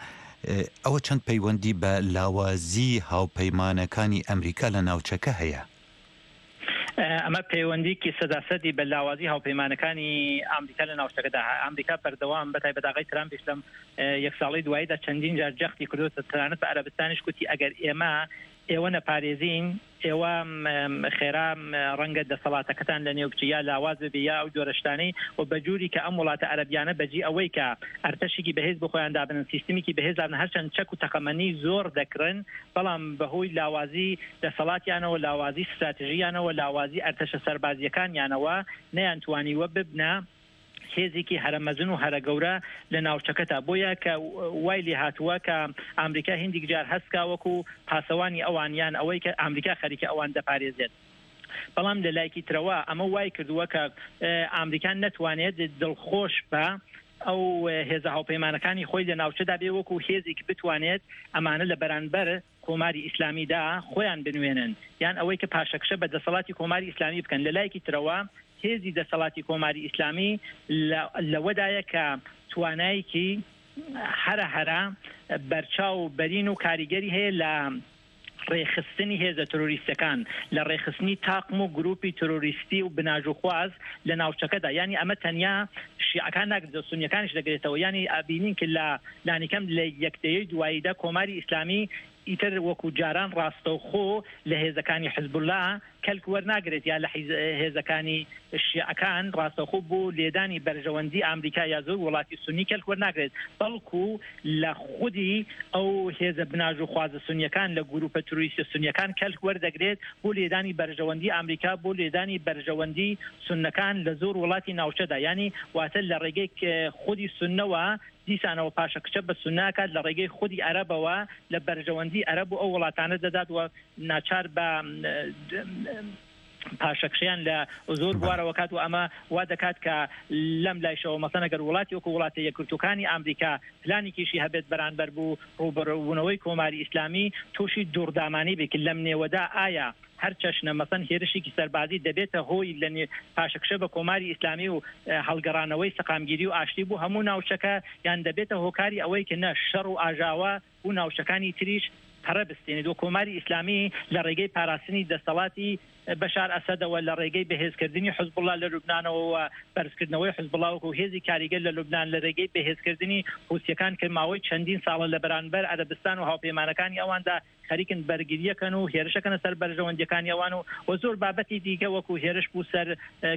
ئەوە چەند پەیوەندی بە لاوازی هاوپەیمانەکانی ئەمریکا لە ناوچەکە هەیە؟ ئەمە پەیوەندیکی سەداسەدی بە لاوازی هاوپەیمانەکانی ئامریکا لە ناوچەکەدا هەیە. ئامریکا بەردەوام بە تایبەت ئاغای ترامپیش لەم یەک ساڵەی دواییدا چەندین جار جەختی کردووەتە تەنانەت بە عەرەبستانیش گوتی ئەگەر ئێمە ئێوە نەپارێزین. ئێوە خێرا ڕەنگە دەسەڵاتەکەتان لە نێو بچی یا لاواز ببی یا ئەو جۆرە شتانەی و بە جوری کە ئەم وڵاتە عەرەبیانە بەجی ئەوەی کە ئەرتەشێکی بەهێز بۆ خۆیان دابنن سیستمیکی بەهێز دابنن هەرچەند چەک و تەقەمەنی زۆر دەکڕن بەڵام بەهۆی لاوازی دەسەڵاتیانەوە لاوازی ستراتژیانەوە لاوازی ئەرتەشە سەربازیەکانیانەوە نەیانتوانیوە ببنە هێزێکی هەرە مەزن و هەرە گەورە لە ناوچەکەتا بۆیە کە وای لێ هاتووە کە ئامریکا هیندیک جار هەست کا وەکو پاسەوانی ئەوان یان ئەوەی کە ئامریکا خەریکە ئەوان دەپارێزێت بەڵام لە لایکی ترەوە ئەمە وای کردووە کە ئامریکا نەتوانێت دڵخۆش بە ئەو هێزە هاوپەیمانەکانی خۆی لە ناوچەدا بێ وەکو هێزێک بتوانێت ئەمانە لە بەرانبەر کۆماری ئیسلامیدا خۆیان بنوێنن یان ئەوەی کە پاشەکشە بە دەسەڵاتی کۆماری ئیسلامی بکەن. لە لایەکی ترەوە هێزی دەسەڵاتی کۆماری ئیسلامی لەوەدایە کە توانایەکی هەرە هەرە بەرچاو و بەرین و کاریگەری هەیە لە ڕێکخستنی هێزە ترۆریستەکان، لە ڕێکخستنی تاقم و گروپی ترۆریستی و بناژوخواز لە ناوچەکەدا. یانی ئەمە تەنیا شیعەکان ناگرێتەوە، سونیەکانیش دەگرێتەوە. یانی ئەبینین کە لە لانیکەم لە یەک دەیەی دواییدا کۆماری ئیسلامی ئیتر وەکوو جاران ڕاستەوخۆ لە هێزەکانی حزبوڵا کەلک وەرناگرێت یا لە هێزەکانی شیعەکان ڕاستەوخۆ بۆ لێدانی بەرژەوەندی ئامریکا یا زۆر وڵاتی سوننی کەلک وەرناگرێت بەڵکوو لە خودی ئەو هێزە بناژوخوازە سونیەکان لە گروپە تروریستە سونیەکان کەلک وەردەگرێت بۆ لێدانی بەرژەوەندی ئامریکا بۆ لێدانی بەرژەوەندی سوننەکان لە زۆر وڵاتی ناوچەدا یانی واتە لە ڕێگەی خودی سوننەوە دیسانەوە پاشەکشە بە سوننە ئەکات لە ڕێگەی خودی عەرەبەوە لە بەرژەوەندی عەرەب و ئەو وڵاتانە دەدات و ناچار بە پاشەکشەیان لە زۆر بوارەوە کات و ئەمە وا دەکات کە لەم لایشەوە مەسەن ئەگەر وڵاتی وەکو وڵاتە یەکگرتووکانی ئامریکا پلانێکیشی هەبێت بەرانبەر بوو ڕووبەڕووبوونەوەی کۆماری ئیسلامی تووشی دوڕدامانی بێت لەم نێوەدا ئایا هەر چەشنە مەسەن هێرشێکی سەربازی دەبێتە هۆی لە پاشەکشە بە کۆماری ئیسلامی و هەڵگەڕانەوەی سەقامگیری و ئاشتی بۆ هەموو ناوچەکە یان دەبێتە هۆکاری ئەوەی کە نە شەڕ و ئاژاوە بو ناوچەکانی تریش پەرە بستێنێت و کۆماری ئیسلامی لە ڕێگەی پاراستنی دەسەڵاتی بەشار ئەسەدەوە لە ڕێگەی بەهێزکردنی حزبوڵا لە لوبنانەوە و بەرزکردنەوەی حزبوڵا وەکو هێزی کاریگەر لە لوبنان لە رێگەی بەهێزکردنی حوسیەکان کە ماوەی چەندین ساڵە لە بەرانبەر عەرەبستان و هاوپەیمانەکانی ئەواندا خەریکن بەرگریەکەن و هێرشەکەنە سەر بەرژەوەندیەکانی ئەوان و و زۆر بابەتی دیکە وەکو هێرش بو سەر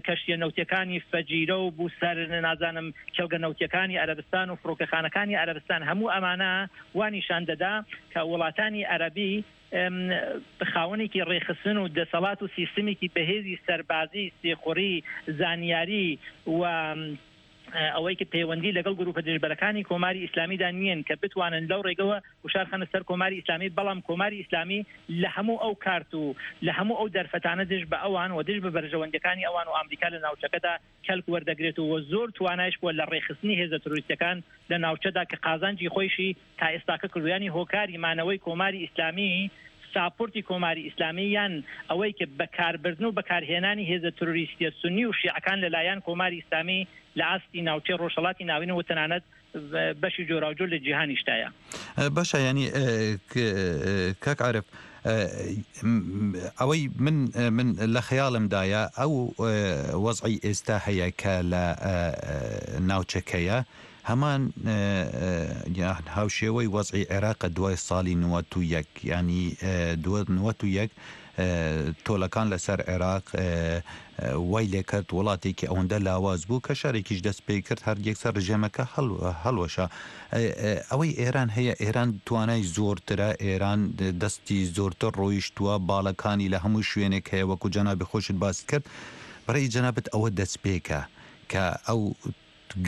کەشتیە نەوتیەکانی فەجیرە و بو سەر نازانم کێڵگە نەوتیەکانی عەرەبستان و فڕۆکەخانەکانی عەرەبستان هەموو ئەمانە وا نیشان دەدا کە وڵاتانی عەرەبی خاوەنێکی ڕێکخستن و دەسەڵات و سیستمێکی بەهێزی سەربازی، سیخوڕی، زانیاری و ئەوەی کە پەیوەندی لەگەڵ گروپە دژبەرەکانی کۆماری ئیسلامیدا نییەن کە بتوانن لەو ڕێگەوە گوشار خەنە سەر کۆماری ئیسلامی، بەڵام کۆماری ئیسلامی لە هەموو ئەو کارت و لە هەموو ئەو دەرفەتانە دژ بە ئەوان و دژ بە بەرژەوەندیەکانی ئەوان و ئامریکا لە ناوچەکەدا کەلک وەردەگرێت و زۆر توانایش بووە لە ڕێکخستنی هێزە ترۆریستیەکان لە ناوچەدا کە قازانجی خۆیشی تا ئێستاکە کردووە یانی هۆکاری مانەوەی کۆماری ئیسلامی ساپۆرتی کۆماری ئیسلامی یان ئەوەی کە بەکاربردن و بەکارهێنانی هێزە ترۆریستیە سونی و شیعەکان لە لایەن کۆماری ئیسلامی لە ئاستی ناوچەی ڕۆژهەڵاتی ناوین و تەنانەت بەشی جۆراوجۆر لە جیهانیشدایە. باشە یانی کاک عارف ئەوەی من من لە خەیاڵمدایە ئەو وەزعی ئێستا هەیە کە لە ناوچەکەیە هەمان یان هاوشێوەی وەزعی عێراقە دوای ساڵی 91 یانی 91 تۆلەکان لەسەر عێراق وای لێکرد وڵاتێکی ئەوەندە لاواز بوو کە شەرێکیش دەست پێ کرد هەر یەکسەر رژێمەکە هەڵوەشا. ئەوەی ئێران هەیە ئێران توانای زۆرترە ئێران دەستی زۆرتر ڕۆیشتووە باڵەکانی لە هەموو شوێنێک هەیە وەکو جەنابی خۆشت باست کرد بەڕێی جەنابت ئەوە دەستپێکە کە ئەو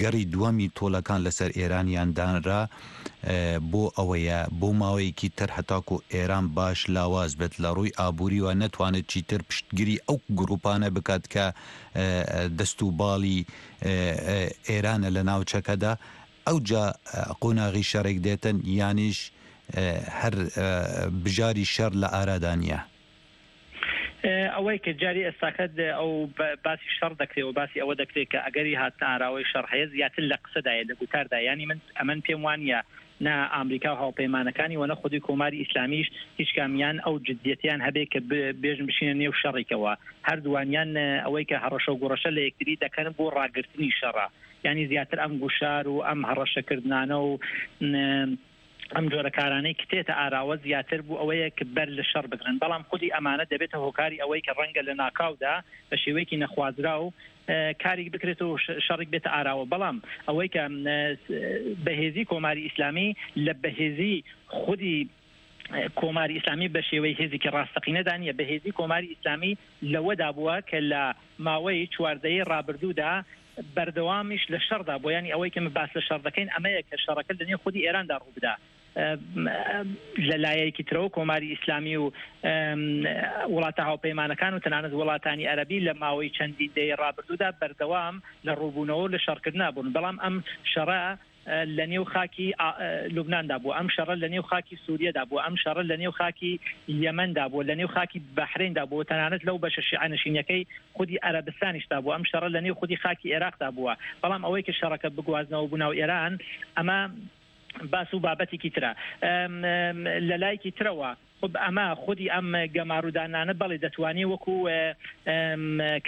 گەڕی دووەمی تۆڵەکان لەسەر ئێرانیان دانرا بۆ ئەوەیە بۆ ماوەیەکی تر هەتاکو ئێران باش لاواز بێت لە ڕووی ئابووریوە نەتوانێت چیتر پشتگیری ئەو گروپانە بکات کە دەست و باڵی ئێرانە لە ناوچەکەدا ئەوجا قۆناغی شەڕێک دێتن یانیش هەر بژاری شەڕ لە ئارادا نییە؟ ئەوەی کە جاری ئێستاکە ئەو باسی شەڕ دەکرێ و باسی ئەوە دەکرێت کە ئەگەری هاتنە ئاراوەی شەڕ هەیە زیاتر لە قسەدایە لە گوتاردا یانی من ئەمن پێم وانە نە ئامریکا و هاوپەیمانەکانی و نە خودی کۆماری ئیسلامیش هیچ کامیان ئەو جدیەتیان هەبێ کە بێژن بچینە نێو شەڕێکەوە هەردووانیان ئەوەی کە هەڕەشە و گوڕەشە لە یەکتری دەکەن بۆ ڕاگرتنی شەڕە یانی زیاتر ئەم گوشار و ئەم هەڕەشەکردنانە و. ئەم جۆرە کارانەی کە تێتە ئاراوە زیاتر بۆ ئەوەیە کە بەر لە شەڕ بگرن، بەڵام خودی ئەمانە دەبێتە هۆکاری ئەوەی کە ڕەنگە لە ناکاودا بە شێوەیەکی نەخوازراو کاریک بکرێت و شەڕیک بێتە ئاراوە، بەڵام ئەوەی کە بەهێزی کۆماری ئیسلامی لە بەهێزی خودی کۆماری ئیسلامی بە شێوەی هێزێکی ڕاستەقینەدا نییە، بەهێزی کۆماری ئیسلامی لەوەدا بووە کە لە ماوەی چواردەیەی ڕابردوودا بەردەوامیش لە شەڕدا بووە، یانی ئەوەی کە باس لە شەڕ دەکەین ئەمەیە کە شەڕەکە لە نێو خودی ئێراندا ڕووبدا. لە لایەکی ترەوە کۆماری ئیسلامی و وڵاتە هاوپەیمانەکان و تەنانەت وڵاتانی عەرەبی لە ماوەی چەندین دەیەی ڕابردوودا بەردەوام لە ڕووبوونەوە و لە شەڕکردنا بوون، بەڵام ئەم شەڕە لە نێو خاکی لوبناندا بووە، ئەم شەڕە لە نێو خاکی سووریەدا بووە، ئەم شەڕە لە نێو خاکی یەمەندا بووە، لە نێو خاکی بەحرەیندا بووە، تەنانەت لەو بەشە شیعەنشینەکەی خودی عەرەبستانیشدا بووە، ئەم شەڕە لە نێو خودی خاکی ئێراقدا بووە. بەڵام ئەوەی کە شەڕەکە بگوازنەوە بۆ ناو ئێران، ئەمە باس و بابەتێکی ترە. لە لایەکی ترەوە خب ئەمە خودی ئەم گەمارودانانە بەڵێ دەتوانێ وەکو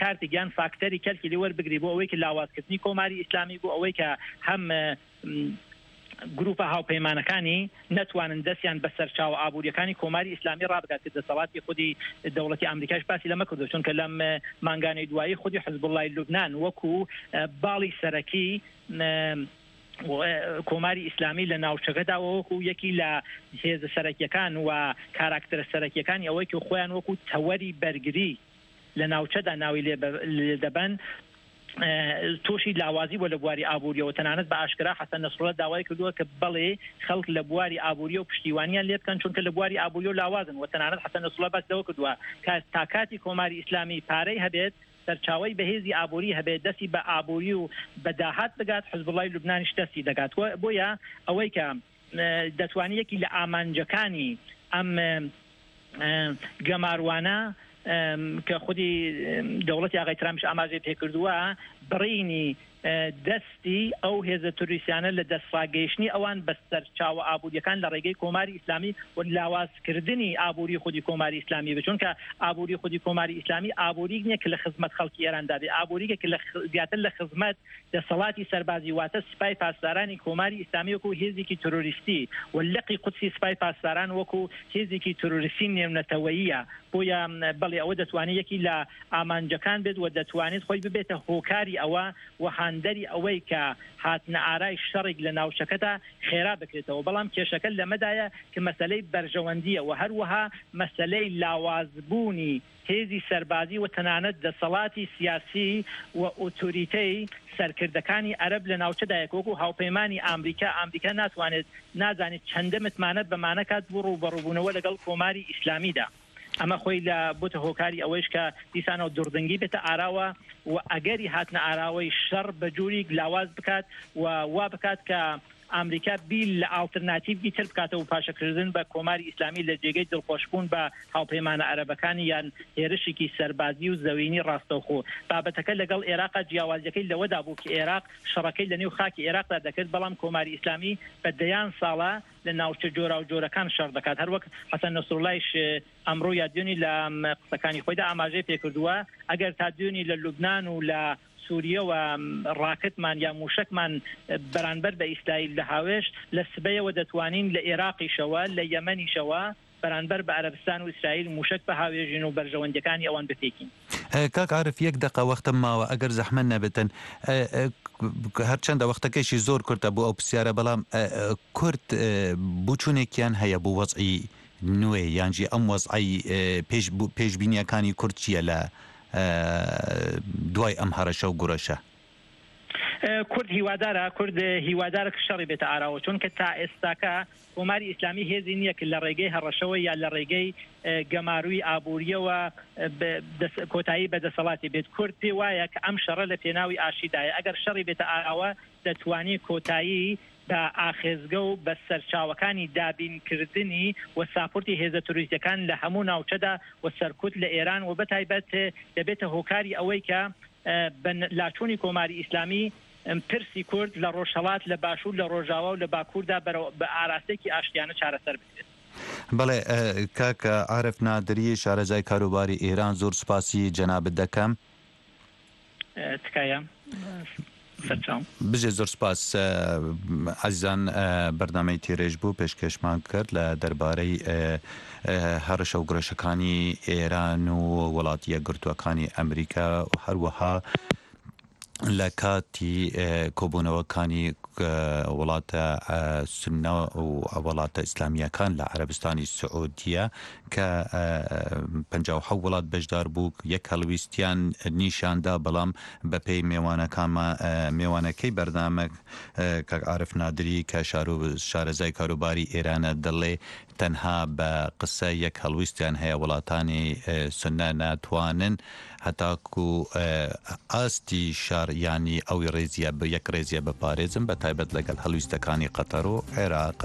کارتێک یان فاکتەری کەلکی لێ وەربگری بۆ ئەوەی کە لاوازکردنی کۆماری ئیسلامی بۆ ئەوەی کە هەم گروپە هاوپەیمانەکانی نەتوانن دەستیان بە سەرچاوە ئابووریەکانی کۆماری ئیسلامی ڕابگات کە دەسەڵاتی خودی دەوڵەتی ئامریکاش باسی لەمە کردو چونکە لەم مانگانەی دوایی خودی حزبوڵای لوبناان وەکو باڵی سەرەکی کۆماری ئیسلامی لە ناوچەکەدا وەکو یەکی لە هێزە سەرەکیەکان و کاراکتەرە سەرەکیەکانی ئەوەی کە خۆیان وەکو تەوەری بەرگری لە ناوچەدا ناوی لێ دەبەن تووشی لاوازی بووە لە بواری ئابووریەوە تەنانەت بە ئاشکرا حەسەن نەسروڵا داوای کردووە کە بەڵێ خەڵک لە بواری ئابووریەوە پشتیوانیان لێ بکەن چونکە لە بواری ئابووریەوە لاوازن و تەنانەت حەسەن نەسروڵا باس لەوە کردووە کە تا کاتی کۆماری ئیسلامی پارەی هەبێت سەرچاوەی بەهێزی ئابووری هەبێت، دەستی بە ئابووری و بە داهات بگات، حزبوڵای لوبنانیش دەستی دەگات. بۆیە ئەوەی کە دەتوانێت یەکی لە ئامانجەکانی ئەم گەماروانە کە خودی دەوڵەتی ئاغای ترامپیش ئاماژەی پێکردووە، بڕینی دەستی ئەو هێزە تروریستیانە لە دەستڕاگەیشتنی ئەوان بە سەرچاوە ئابوورییەکان لە ڕێگەی کۆماری ئیسلامی و لاوازکردنی ئابووری خودی کۆماری ئیسلامی بێت، چونکە ئابووری خودی کۆماری ئیسلامی ئابووریک نییە کە لە خزمەت خەڵکی ئێراندا بێت، ئابووریکە کە لە زیاتر لە خزمەت دەسەڵاتی سەربازی واتە سپای پاسدارانی کۆماری ئیسلامی وەکوو هێزێکی ترۆریستی و لقی قودسی سپای پاسداران وەکوو هێزێکی ترۆریستی نێونەتەوەییە. بۆیە بەڵێ ئەوە دەتوانێت یەکی لە ئامانجەکان بێت و دەتوانێت خۆی ببێتە هۆکاری ئەوە و هاندەری ئەوەی کە هاتنە ئارای شەڕێک لە ناوچەکەدا خێرا بکرێتەوە، بەڵام کێشەکە لەمەدایە کە مەسەلەی بەرژەوەندییە و هەروەها مەسەلەی لاوازبوونی هێزی سەربازی و تەنانەت دەسەڵاتی سیاسی و ئۆتۆریتەی سەرکردەکانی عەرەب لە ناوچەدایە کە وەکو هاوپەیمانی ئامریکا، ئامریکا ناتوانێت نازانێت چەندە متمانە بەمانە کات بۆ ڕووبەڕووبوونەوە لەگەڵ کۆماری ئیسلامیدا. ئەمە خۆی لە بۆتە هۆکاری ئەوەیش کە دیسانەوە دوڕدنگی بێتە ئاراوە و ئەگەری هاتنە ئاراوەی شەڕ بە جوریک لاواز بکات و وا بکات کە ئامریکا بیر لە ئاڵترناتیڤی تر بکاتەوە و پاشەکردن بە کۆماری ئیسلامی لە جێگەی دڵخۆشبوون بە هاوپەیمانە عەرەبەکانی یان هێرشێکی سەربازی و زەوینی ڕاستەوخۆ. بابەتەکە لەگەڵ ئێراقا جیاوازیەکەی لەوەدا بوو کە ئێراق شەڕەکەی لە نێو خاکی ئێراقدا دەکرد بەڵام کۆماری ئیسلامی بە دەیان ساڵە لە ناوچە جۆراوجۆرەکان شەڕ دەکات، هەروەک حەسەن نەسروڵایش ئەمڕۆ یا دوێنی لە قسەکانی خۆیدا ئاماژەی پێکردووە، ئەگەر تا دوێنی لە لوبنان و لە سوریەوە ڕاکتمان یا موشەکمان بەرانبەر بە ئیسرائیل دەهاوێشت، لە سبەیەوە دەتوانین لە ئێراقیشەوە لە یەمەنیشەوە بەرانبەر بە عەرەبستان و ئیسرائیل موشەک بهاوێژین و بەرژەوەندیەکانی ئەوان بپێکین. کاک عارف یەک دەقە وەختم ماوە ئەگەر زەحمەت نەبێتن هەرچەندە وەختەکەیشی زۆر کورتە بۆ ئەو پرسیارە بەڵام کورد بوچونێکیان هەیە بۆ وەزعی نوێ یانژی ئەم وەزعەی پێش پێشبینیەکانی کورد چییە لە دوای ئەم هەڕەشە و گوڕەشە؟ کورد هیوادارە کورد هیوادارە کە شەڕی بێتە ئاراوە چونکە تا ئێستاکە کۆماری ئیسلامی هێزی نییە کە لە ڕێگەی هەڕەشەوە یا لە ڕێگەی گەماروی ئابووریەوە کۆتایی بە دەسەڵاتی بێت کورد پێ وایە کە ئەم شەڕە لە پێناوی ئاشتیدایە ئەگەر شەڕی بێتە ئاراوە دەتوانی کۆتایی بە ئاخێزگە و بە سەرچاوەکانی دابینکردنی و ساپورتی هێزە تروریستیەکان لە هەموو ناوچەدا و سەرکوت لە ئێران و بەتایبەت دەبێتە هۆکاری ئەوەی کە بە لاچوونی کۆماری ئیسلامی پرسی کورد لە ڕۆژهەڵات، لە باشوور، لە ڕۆژاوا و لە باکووردا بەرەو بە ئاراستەیەکی ئاشتیانە چارەسەر بکرێت. بەڵێ کاک عارف نادری شارەزای کاروباری ئێران زۆر سوپاسی جەنابت دەکەم. تکایە. سەرچاوم. بژێ زۆر سپاس ئازیزان بەرنامەی تیرێژ بوو پێشکێشمان کرد لە دەربارەی هەڕەشە و گڕەشەکانی ئێران و وڵاتی یەکگرتووەکانی ئەمریکا هەروەها لە کاتی کۆبوونەوەکانی وڵاتە سوننە و وڵاتە ئیسلامییەکان لە عەرەبستانی سعودیە کە 57 وڵات بەشدار بوو یەک هەڵویستیان نیشاندا بەڵام بەپێی مێوانەکانمان مێوانەکەی بەرنامە کاک عارف نادری کە شارەزای کاروباری ئێرانە دەڵێ تەنها بە قسە یەک هەڵویستیان هەیە وڵاتانی سوننە ناتوانن هەتاکو ئاستی شەڕ یانی ئەو ڕێزیە یەک ڕێزیە بپارێزن بە تایبەت لەگەڵ هەڵویستەکانی قەتەر و عێراق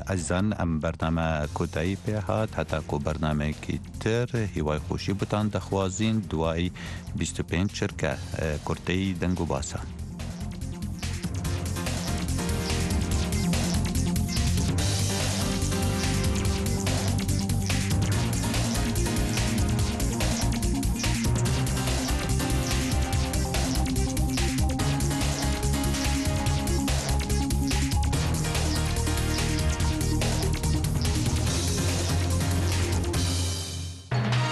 ئەزیزان ئەم بەرنامە کۆتایی پێ هات هەتاکو بەرنامەیەکی تر هیوای خۆشی بتان دەخوازین دوای 25 چرکە کورتەی دەنگ و باسان.